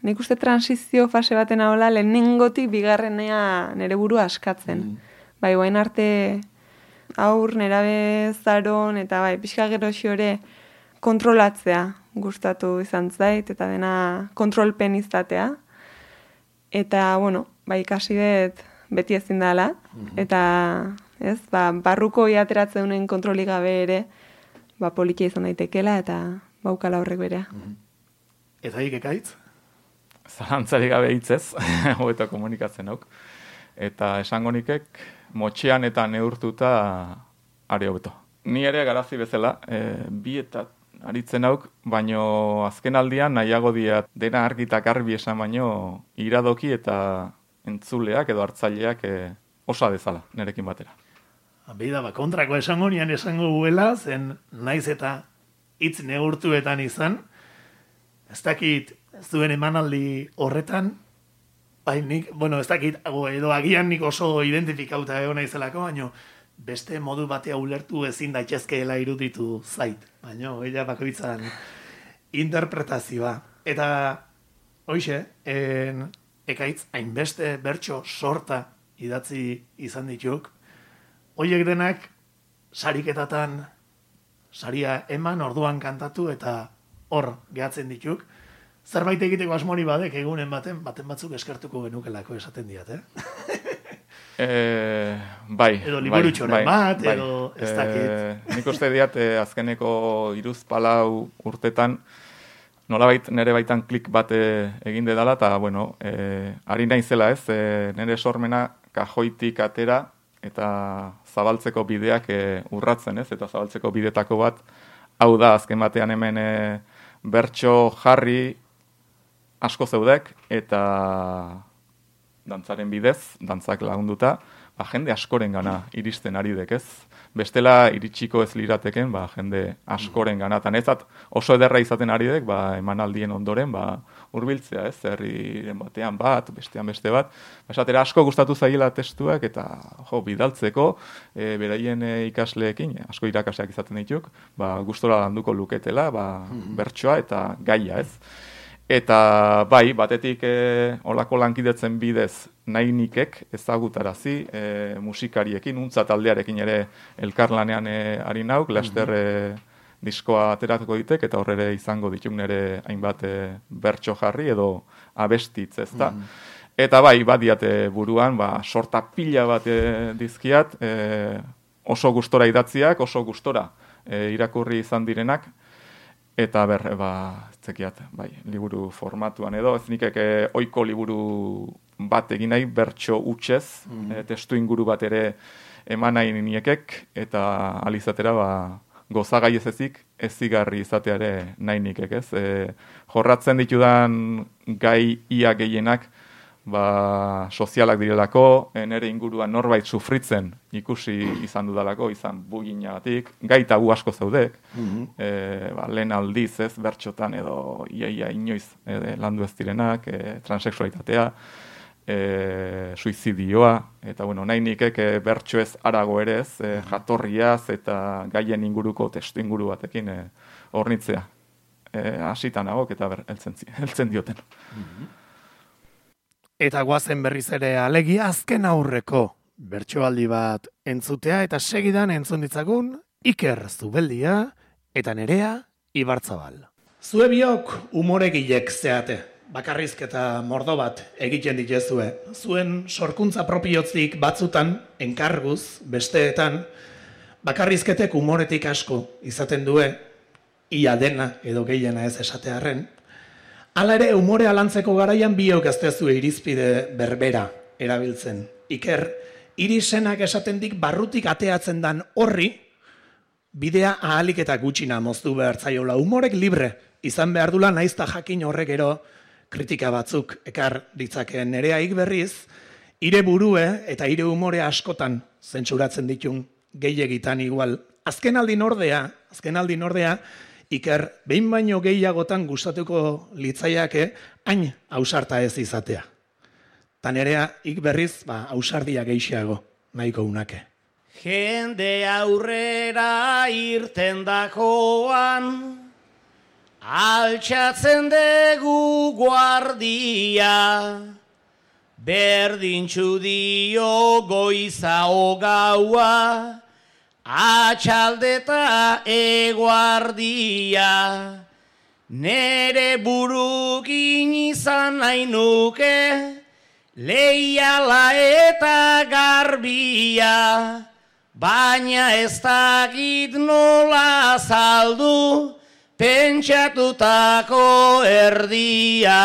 nik uste transizio fase baten ahola lehenengotik bigarrenea nere burua askatzen. Mm. Bai, guain arte aur, nerabe zaron, eta bai, pixka gero ere kontrolatzea gustatu izan zait, eta dena kontrolpen izatea. Eta, bueno, ba, ikasi dut beti ezin dela, eta ez, ba, barruko ateratzen duen kontrolik gabe ere, ba, politia izan daitekela, eta baukala horrek berea. Eta hik ekaitz? Zalantzari gabe hitzez, hobeto komunikatzen hauk. Eta esango nikek, motxean eta neurtuta are hobeto. Ni ere garazi bezala, e, bi eta aritzen hauk, baino azken aldian nahiago diat dena argita garbi esan baino iradoki eta entzuleak edo hartzaileak e, osa dezala, nerekin batera. Beida, ba, kontrako esango nian esango guela, zen naiz eta hitz neurtuetan izan, ez dakit zuen emanaldi horretan, bai nik, bueno, ez dakit, edo agian nik oso identifikauta egon naizelako, baino beste modu batea ulertu ezin daitezkeela iruditu zait, baino, ella bakoitzan interpretazioa. Eta, hoixe, en, ekaitz, hainbeste bertso sorta idatzi izan dituk, hoiek denak sariketatan saria eman, orduan kantatu eta hor gehatzen dituk. Zerbait egiteko asmori badek egunen baten, baten batzuk eskertuko genukelako esaten diat, eh? e, bai. Edo liburutxoren bai, bat, bai, edo ez dakit. E, nik uste diat, e, azkeneko iruz palau urtetan, nolabait nere baitan klik bat egin dedala, eta, bueno, e, ari naizela ez, e, nere sormena kajoitik atera, eta zabaltzeko bideak e, urratzen ez, eta zabaltzeko bidetako bat, hau da, azken batean hemen e, bertso jarri asko zeudek, eta dantzaren bidez, dantzak lagunduta, ba, jende askoren gana iristen ari dek ez. Bestela iritsiko ez lirateken, ba, jende askoren gana. Eta nezat oso ederra izaten ari dek, ba, emanaldien ondoren, ba, hurbiltzea ez, herriren batean bat, bestean beste bat. Esatera asko gustatu zaiela testuak, eta jo, bidaltzeko, e, beraien e, ikasleekin, asko irakasleak izaten dituk, ba, gustora landuko luketela, ba, bertsoa eta gaia ez. Eta bai, batetik e, olako lankidetzen bidez nahi nikek ezagutarazi e, musikariekin, untza taldearekin ere elkarlanean e, ari nauk, laster e, diskoa ateratuko ditek, eta horre izango dituk nire hainbat e, bertso jarri edo abestitz, ez da. Eta bai, badiate buruan, ba, sorta pila bat e, dizkiat, e, oso gustora idatziak, oso gustora e, irakurri izan direnak, eta ber, ba, zekiat, bai, liburu formatuan edo, ez nikek eh, oiko liburu bat egin nahi, bertso utxez, mm -hmm. e, testu inguru bat ere eman nahi niekek, eta alizatera, ba, gozagai ez ezik, ezigarri izateare nahi nikek, ez? E, jorratzen ditudan gai ia gehienak, ba, sozialak direlako, nere inguruan norbait sufritzen ikusi izan dudalako, izan buginagatik, gai tabu asko zaudek, mm-hmm. e, ba, lehen aldiz ez, bertxotan edo iaia inoiz e, landu ez direnak, e, transexualitatea, e, suizidioa, eta bueno, nahi nikek e, bertxo ez arago ere ez, e, jatorriaz eta gaien inguruko testu inguru batekin e, hornitzea. E, asitan agok eta ber, eltzen, eltzen dioten. Mm-hmm. Eta guazen berriz ere alegia azken aurreko bertsoaldi bat entzutea eta segidan entzun ditzagun Iker Zubeldia eta Nerea Ibarzabal. Zue biok umoregilek zeate, bakarrizketa mordo bat egiten ditezue. Zuen sorkuntza propiotzik batzutan, enkarguz, besteetan, bakarrizketek umoretik asko izaten due, ia dena edo gehiena ez esatearren. Hala ere, umore alantzeko garaian biok ez dezue irizpide berbera erabiltzen. Iker, irisenak esatendik barrutik ateatzen dan horri, bidea ahalik eta gutxina moztu behar zaiola. Umorek libre izan behar dula naizta jakin horrek ero kritika batzuk ekar ditzakeen. Nereaik berriz, ire burue eta ire umore askotan zentsuratzen ditun gehiagitan igual. Azken aldin ordea, azken aldin ordea, Iker, behin baino gehiagotan gustatuko litzaiake, hain ausarta ez izatea. Ta nerea, ik berriz, ba, ausardia gehiago, nahiko unake. Jende aurrera irten dakoan, altxatzen dugu guardia, berdintxu dio goiza ogaua, atxaldeta eguardia, nere burukin izan nahi nuke, leiala eta garbia, baina ez dakit nola azaldu, pentsatutako erdia.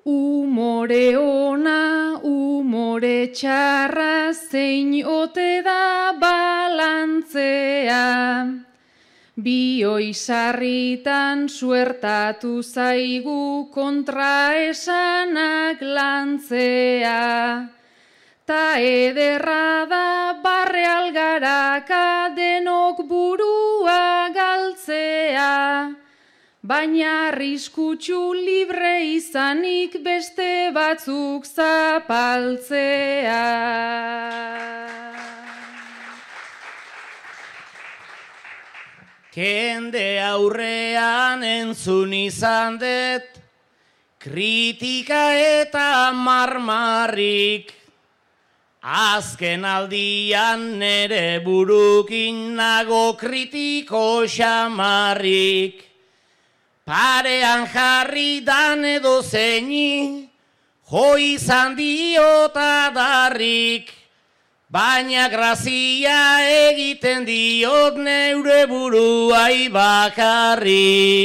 Umore ona, umore txarra, zein ote da balantzea. Bioi sarritan suertatu zaigu kontraesanak lantzea. Ta ederra da barre algaraka denok burua galtzea. Baina arriskutsu libre izanik beste batzuk zapaltzea. Kende aurrean entzun izan dut, kritika eta marmarrik, azken aldian nere burukin nago kritiko xamarrik. Parean jarri dan edo zeini, jo izan diota darrik, baina grazia egiten diot neure buruai bakarrik.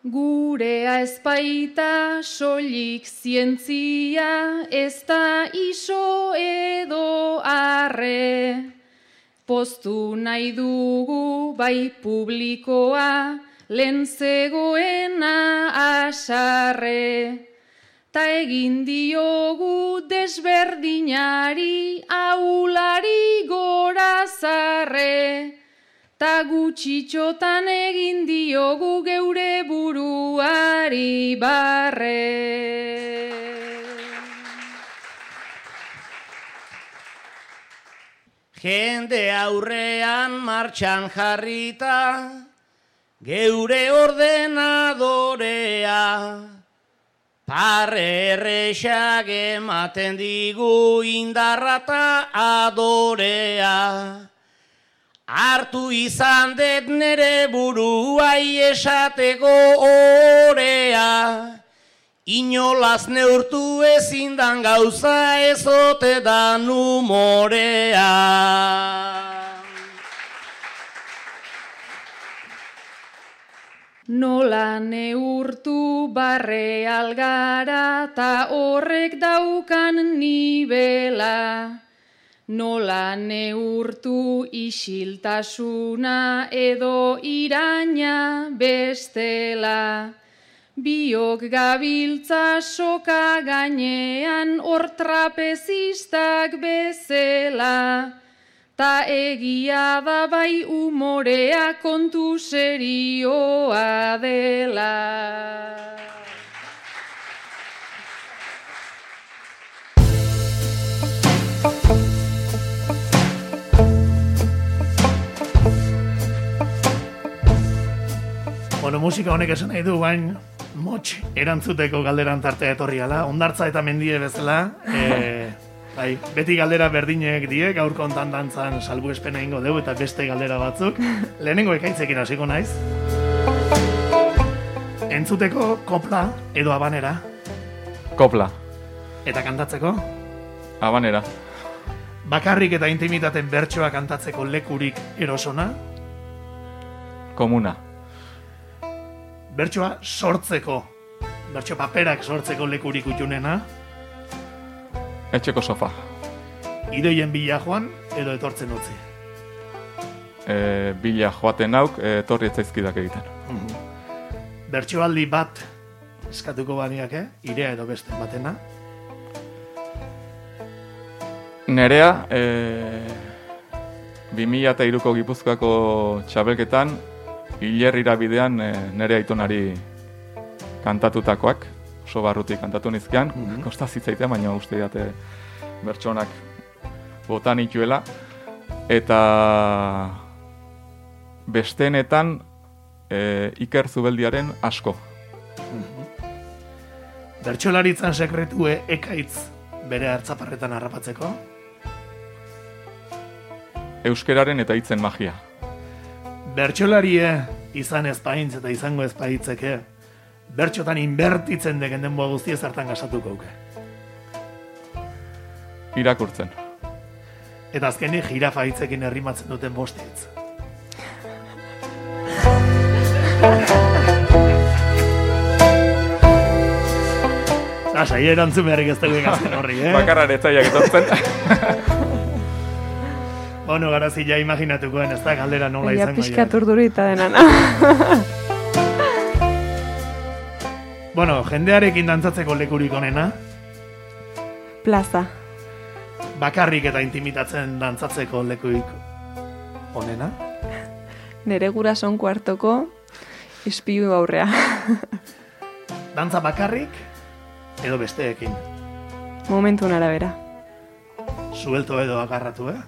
Gurea ezpaita soilik zientzia, ez da iso edo arre. Poztu nahi dugu bai publikoa, lehen zegoena asarre. Ta egin diogu desberdinari, ahulari gorazarre. Ta gutxitxotan egin diogu geure buruari barre. Jende aurrean martxan jarrita, geure ordenadorea, parre erresak ematen digu indarra ta adorea. Hartu izan dut nere buruai esateko orea, inolaz neurtu ezindan gauza ezote dan umorea. Nola neurtu barre algara ta horrek daukan nibela. Nola neurtu isiltasuna edo iraina bestela. Biok gabiltza soka gainean hor trapezistak bezela. Ta egia da bai umorea kontu serioa dela. Bueno, musika honek esan nahi du, bain motx erantzuteko galderan tartea etorriala, ondartza eta mendie bezala, e, bai, beti galdera berdinek die, gaur kontan dantzan salbuespena ingo dugu eta beste galdera batzuk. Lehenengo ekaitzekin hasiko naiz. Entzuteko kopla edo habanera? Kopla. Eta kantatzeko? Habanera. Bakarrik eta intimitaten bertsoa kantatzeko lekurik erosona? Komuna. Bertsoa sortzeko, bertso paperak sortzeko lekurik utxunena? Etxeko sofa. Ideien bila joan edo etortzen utzi? E, bila joaten hauk, etorri etzaizkidak egiten. Mm-hmm. Bertsoaldi bat eskatuko baniake, irea edo beste batena? Nerea, e, bi mila hiruko Gipuzkoako txabelketan, hilerrira bidean e, nere aitonari kantatutakoak, oso barrutik kantatu nizkian, mm-hmm. kosta zitzaitea, baina uste diate bertsonak botan ituela, eta besteenetan e, Iker Zubeldiaren Asko. Bertsolaritzan sekretue ekaitz bere hartzaparretan harrapatzeko? Euskeraren eta hitzen magia. Bertsolarie izan ezpaintz eta izango ezpaitzeke, bertxotan inbertitzen degen denboa guztia zertan gasatuko uke. Irakurtzen. Eta azkenik jirafa hitzekin errimatzen duten bost hitz. Lasai, erantzun beharrik ez dugu azken horri, eh? Bakarran ez zaiak etortzen. Bueno, garazi ja imaginatukoen, ez da galdera nola izango. Ja pixkat urdurita denan. Bueno, jendearekin dantzatzeko lekurik onena? Plaza. Bakarrik eta intimitatzen dantzatzeko lekurik onena? Nere gurason kuartoko ispilu aurrea. Dantza bakarrik edo besteekin? Momentun arabera. Suelto edo agarratu, eh?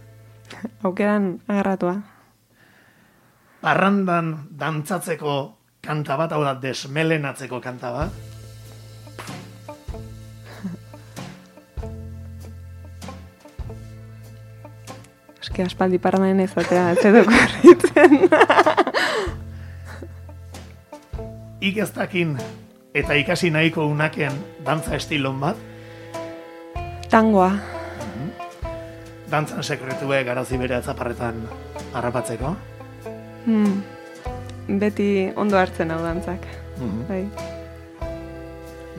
Aukeran agarratua. Parrandan dantzatzeko kanta bat, hau da, desmelenatzeko kanta bat. Eske aspaldi parrandan ezatea, ez edo korritzen. Ikestakin eta ikasi nahiko unaken dantza estilon bat. Tangoa. Dantzan sekretue garazi bere atzaparretan harrapatzeko. Hmm. Beti ondo hartzen hau dantzak. Mm-hmm. Bai.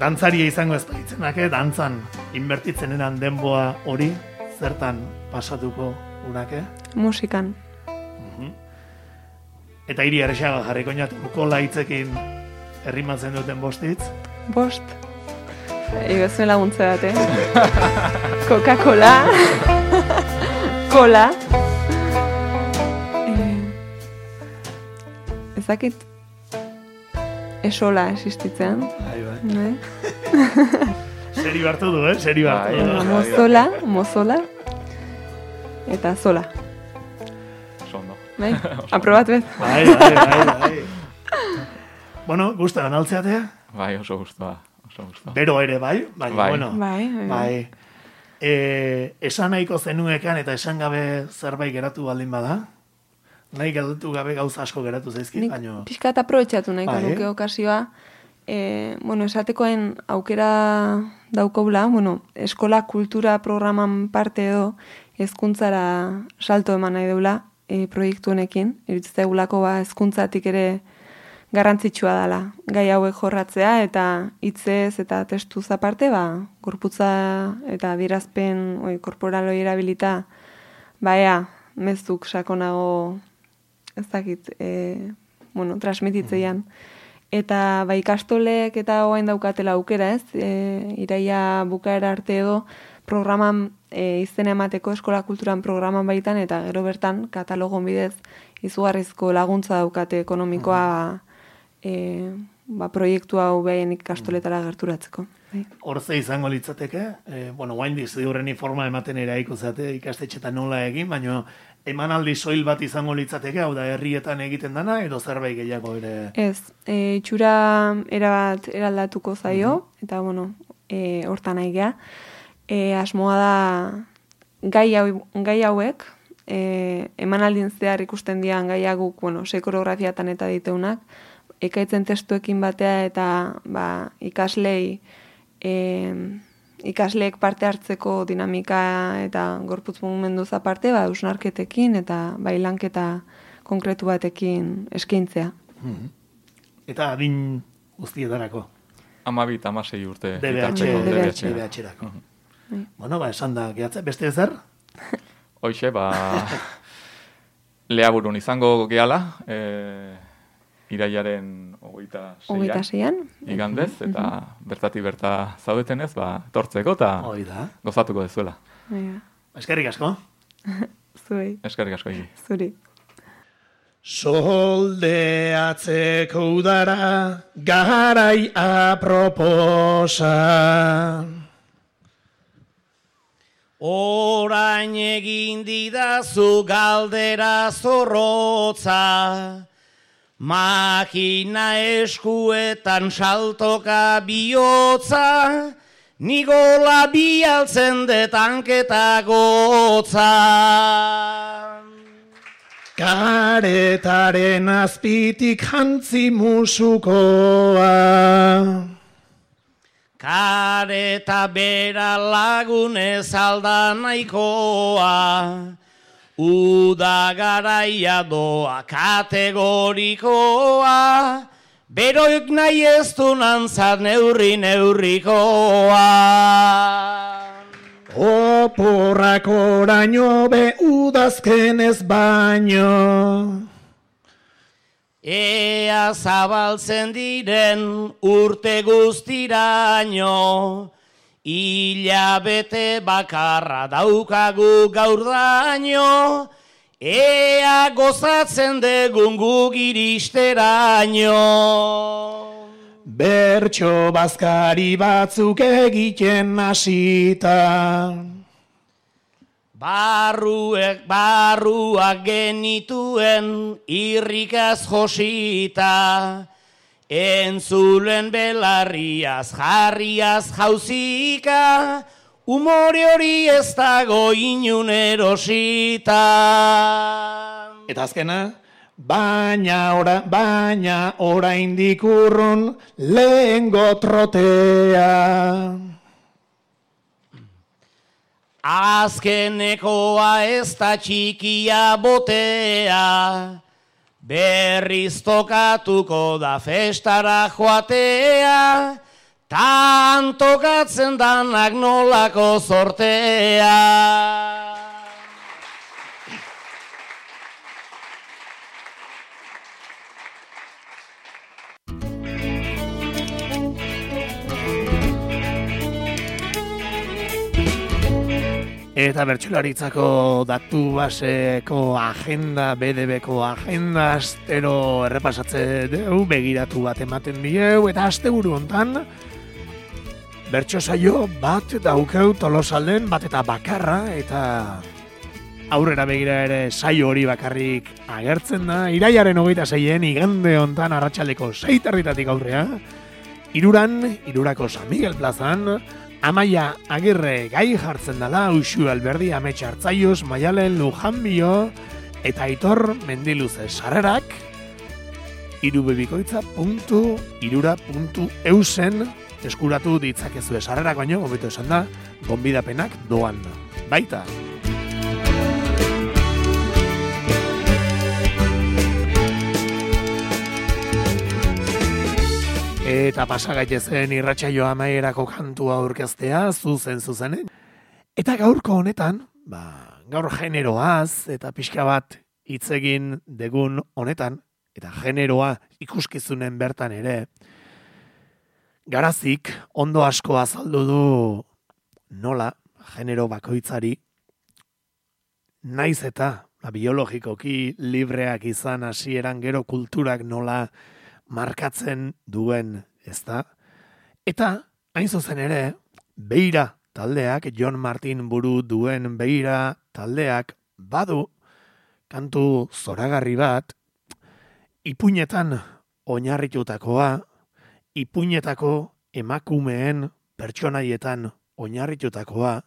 Dantzaria izango ez baitzenake, dantzan inbertitzen eran denboa hori, zertan pasatuko unake? Musikan. Mm-hmm. Eta hiri errexaga jarriko inatuko laitzekin errimatzen duten bostitz? Bost. Ego zuen laguntze bat, eh? Coca-Cola. Cola. Eh, ezakit esola existitzean. Bai, bai. Bai. Seri hartu du, eh? Seri hartu du. Mozola, mozola. Eta zola. Sondo. Bai? Aprobatu ez. Bai, bai, bai, bai. Bueno, guztan altzeatea? Bai, oso guztua. Oso guztua. Bero ere bai, baina, bai. bueno. Bai, bai. Bai. E, esan nahiko zenuekan eta esan gabe zerbait geratu baldin bada? Nahi geratu gabe gauza asko geratu zaizkit, baina... Piskat aprobetxatu nahiko bai. nuke okasioa. E, bueno, esatekoen aukera daukobla, bueno, eskola kultura programan parte edo hezkuntzara salto eman nahi deula e, proiektu honekin. Iruditzen zaigulako ba hezkuntzatik ere garrantzitsua dela gai hauek jorratzea eta hitzez eta testuz aparte ba gorputza eta adierazpen oi korporaloi erabilita ba ea mezuk sakonago ez dakit e, bueno transmititzeian eta ba ikastolek eta orain daukatela aukera ez e, iraia bukaera arte edo programan e, izena emateko eskola kulturan programan baitan eta gero bertan katalogon bidez izugarrizko laguntza daukate ekonomikoa ba, E, ba, proiektu hau behaien ikastoletara gerturatzeko. Horze izango litzateke, e, bueno, guain diziurreni forma ematen eraiko zate ikastetxetan nola egin, baina emanaldi soil bat izango litzateke, hau da herrietan egiten dana, edo zerbait gehiago ere? Ez, e, itxura erabat eraldatuko zaio, mm-hmm. eta bueno, e, hortan nahi geha. E, asmoa da gai, hau, gai hauek, e, emanaldin zehar ikusten dian gaiaguk, bueno, sei koreografiatan eta diteunak, ekaitzen testuekin batea eta ba, ikaslei e, ikasleek parte hartzeko dinamika eta gorputz mugimenduz aparte ba, eusnarketekin eta bailanketa konkretu batekin eskaintzea. Mm-hmm. Eta adin guztietarako? Amabit, amasei urte. D B H-erako. Bueno, ba, esan da, gehatze, beste ezer? Hoixe, ba, leaburun izango gehala, e, iraiaren hogeita seian, igandez, eta mm-hmm. bertati berta zaudetenez, ba, tortzeko eta gozatuko dezuela. Ja. Eskerrik asko. Zuei. Eskerrik asko. Zuri. Soldeatzeko udara garai aproposa. Orain egin didazu galdera zorrotza, makina eskuetan saltoka bihotza, nigola bialtzen detanketa gotza. Karetaren azpitik jantzi musukoa, kareta bera lagunez alda nahikoa, uda garaia doa kategorikoa, beroik nahi ez du nantzat neurri neurrikoa. Oporrak oraino be udazkenez baino, ea zabaltzen diren urte guztiraino, hilabete bakarra daukagu gaurdaino, ea gozatzen degun guk iristeraino. Bertso bazkari batzuk egiten hasita, barruek barruak genituen irrikaz josita, entzulen belarriaz jarriaz jauzika, umore hori ez dago inun erosita. Eta azkena, baina ora, baina oraindik urrun lehengo trotea. Azkenekoa ez da txikia botea, berriz tokatuko da festara joatea, tan tokatzen danak nolako sortea. Eta bertsolaritzako datu baseko agenda, B D Bko agenda, astero errepasatze deu, begiratu bat ematen dieu, eta asteburu hontan bertso saio bat daukeu Tolosalden, bat eta bakarra, eta aurrera begira ere saio hori bakarrik agertzen da, iraiaren hogeita seien, igande hontan arratsaldeko sei territatik aurrea, iruran, irurako San Miguel plazan, Amaia Agirre gai jartzen dela, Uxu Alberdi Ametxe Hartzaiuz, Maialen Lujanbio eta Aitor Mendiluze sarrerak irubebikoitza puntu irura puntu eusen eskuratu ditzakezue sarrerak, baino, hobeto esan da, gonbidapenak doan baita. Eta pasagaitezen irratsaio amaierako kantua aurkeztea, zuzen zuzenen. Eta gaurko honetan, ba, gaur generoaz eta pixka bat hitz egin degun honetan, eta generoa ikuskizunen bertan ere, Garazik ondo asko azaldu du nola genero bakoitzari, naiz eta ba, biologikoki libreak izan hasieran gero kulturak nola markatzen duen, ezta? Eta, hain zuzen ere, Beira taldeak, Jon Martin buru duen Beira taldeak, badu, kantu zoragarri bat, ipuinetan oinarritutakoa, ipuinetako emakumeen pertsonaietan oinarritutakoa,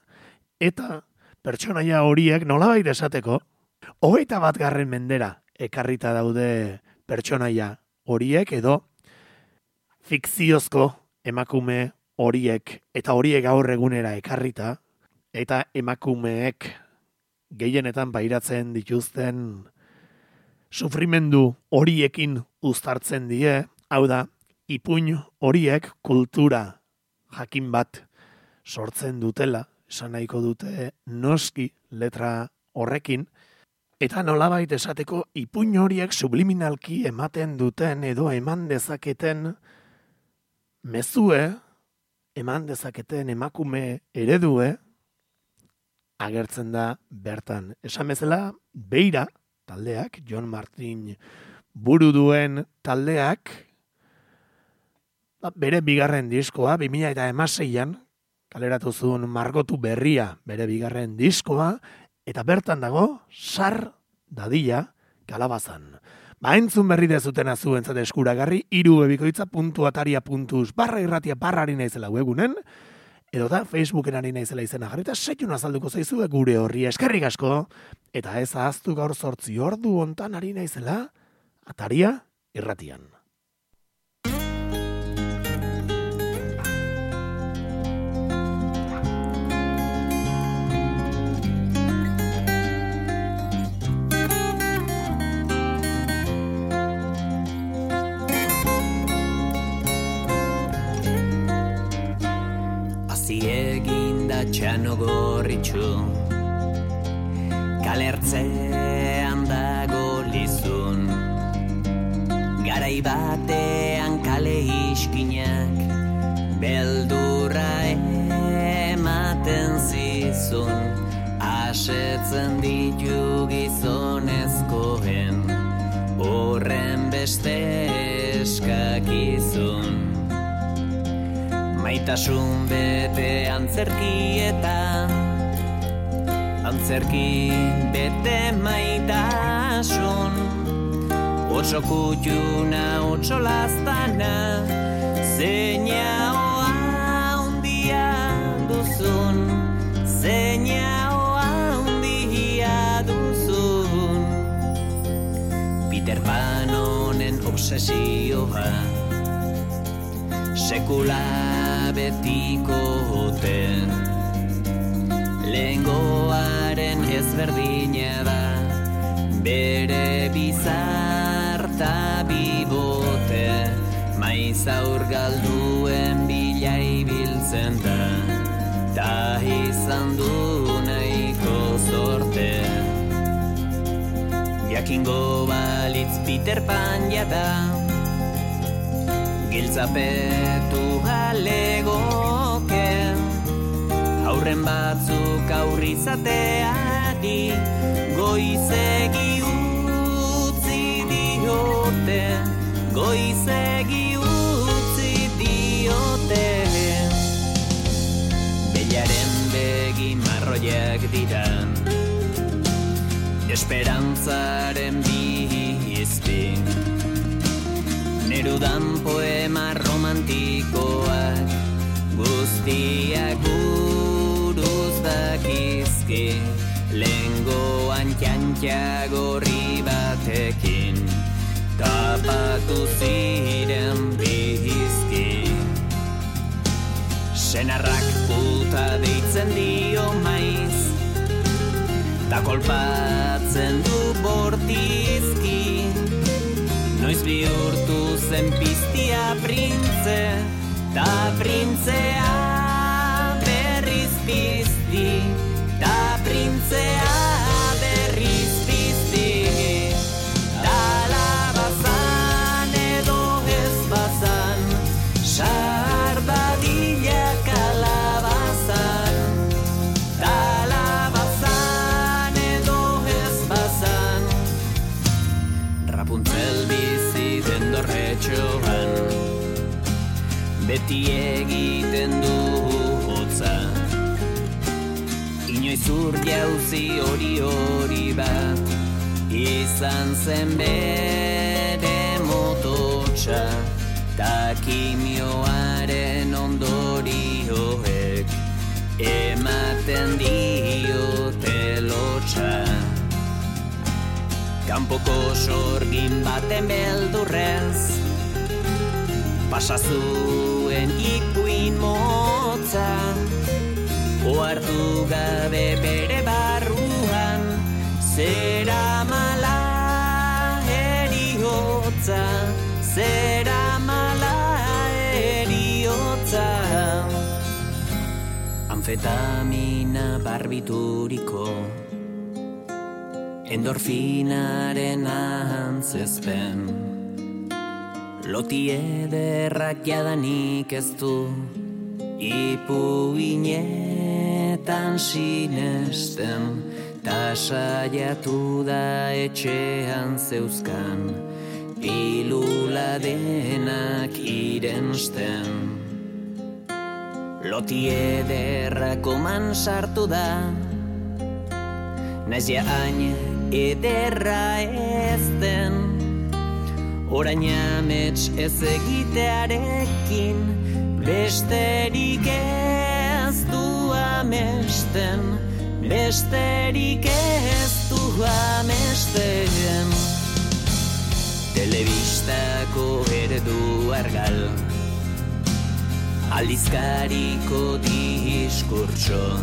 eta pertsonaia horiek nolabait esateko, hogeita bat garren mendera ekarrita daude pertsonaia horiek edo fikziozko emakume horiek eta horiek gaur egunera ekarrita eta emakumeek gehienetan pairatzen dituzten sufrimendu horiekin uztartzen die, hau da, ipuin horiek kultura jakin bat sortzen dutela, esan nahiko dute noski letra horrekin, eta nolabait esateko ipuin horiek subliminalki ematen duten edo eman dezaketen mezue, eman dezaketen emakume eredue, agertzen da bertan. Esan bezala, Beira taldeak, Jon Martin buru duen taldeak, bere bigarren diskoa, bi mila hamaseian, kaleratu zuen margotu berria bere bigarren diskoa, eta bertan dago, sar dadila kalabazan. Ba, entzun berri dezutena zuentzat eskuragarri, irubebikoitza puntu ataria puntu eus barra irratia barra ari naizela webunen, edo da Facebooken ari naizela izena jarri, eta seiun azalduko zaizu gure horri eskerrik asko, eta ez ahaztu gaur zortzi ordu hontan ari naizela, ataria irratian. Eginda txano gorritxu, kalertzean dago lizun, garai batean kale iskinak, beldurra ematen zizun, asetzen ditu gizonezkoen, horren beste eskakizun. Maitasun bete antzerki eta antzerki bete maitasun, otso kutxuna, otso lastana, zeina hoa undia duzun, zeina hoa undia duzun. Peter Pan honen obsesioa, sekula betiko hoten, lehengoaren ezberdina da, bere bizarta bibote, maiz aur galduen bila ibiltzen da, ta izan du nahiko zorte. Jakingo balitz Peter Pan jada, giltzapetu alegoke, aurren batzuk aurrizateari, goizegi utzi diote, goizegi utzi diote. Bellaren begi marroiak dira, esperantzaren bizpi, Nerudan poema romantikoak, guztiak buruz dakizki, lehengoan txantxa gorri batekin, tapatu ziren bizki. Senarrak puta deitzen dio maiz, ta kolpatzen du bortizki, noiz bihurtu zen piztia printze, ta printzea berriz pizti, ta printzea berriz pizti. Talabazan edo ez bazan, sardadila kalabazan, talabazan edo ez bazan, Rapunzel bizi den dorretxoan, beti egiten du hotza, inoiz ur jauzi hori hori bat, izan zen bere mototxa, ta kimioaren ondorioek ematen diote lotxa. Kanpoko sorgin baten beldurrez, pasazuen ipuin motza, ohartu gabe bere barruan, zera mala eriotza, zera mala eriotza. Anfetamina barbituriko, endorfinaren antzezpen, loti ederrak jadanik ez du, ipuinetan sinesten, ta saiatu da etxean zeuzkan, pilula denak irensten. Loti ederrak oman sartu da, naiz ja hain ederra ezten, orain amets ez egitearekin, besterik ez du amesten, besterik ez du amesten. Telebistako erdu argal, aldizkariko diskurtso,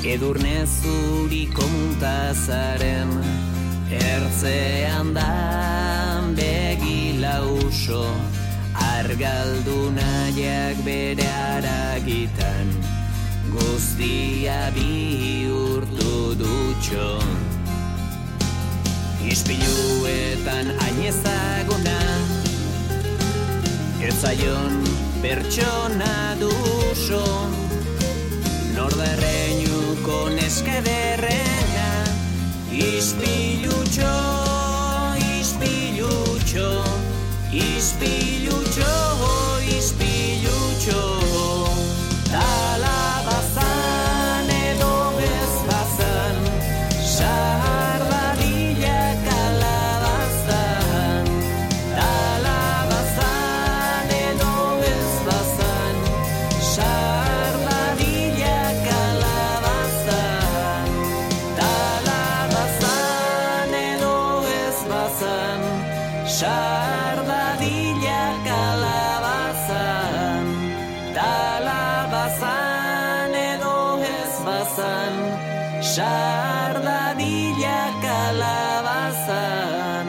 edurne zuriko muntazaren, ertzean da begila uso, argaldu nahiak bere haragitan, guztia bihurtu dutxo. Ispiluetan hain ezaguna, ez zaion pertsona duso, nordarreinuko neska ederrena, ispilutxo, ispilutxo, ispilutxo, ispilutxo. Talabazan edo ez bazan, sahar dadila kalabazan. Talabazan edo ez bazan, sahar dadila kalabazan. Talabazan edo ez bazan, sahar dadila kalabazan. Talabazan edo ez bazan, sahar dadila kalabazan.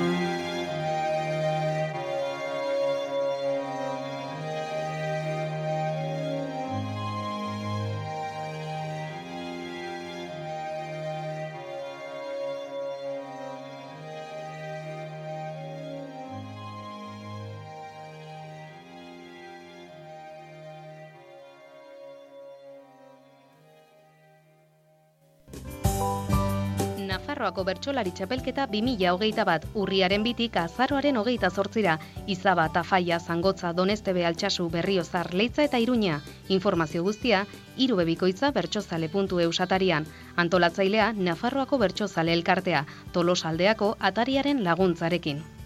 Nafarroako bertsolari txapelketa bi mila hogeita bat urriaren bitik azaroaren hogeita zortzira, Izaba, Tafaia, Zangotza, Donestebe, Altsasu, Berriozar, Leitza eta Iruña. Informazio guztia, irubebikoitza bertsozale puntu eus atarian. Antolatzailea, Nafarroako bertsozale elkartea, Tolosaldeako atariaren laguntzarekin.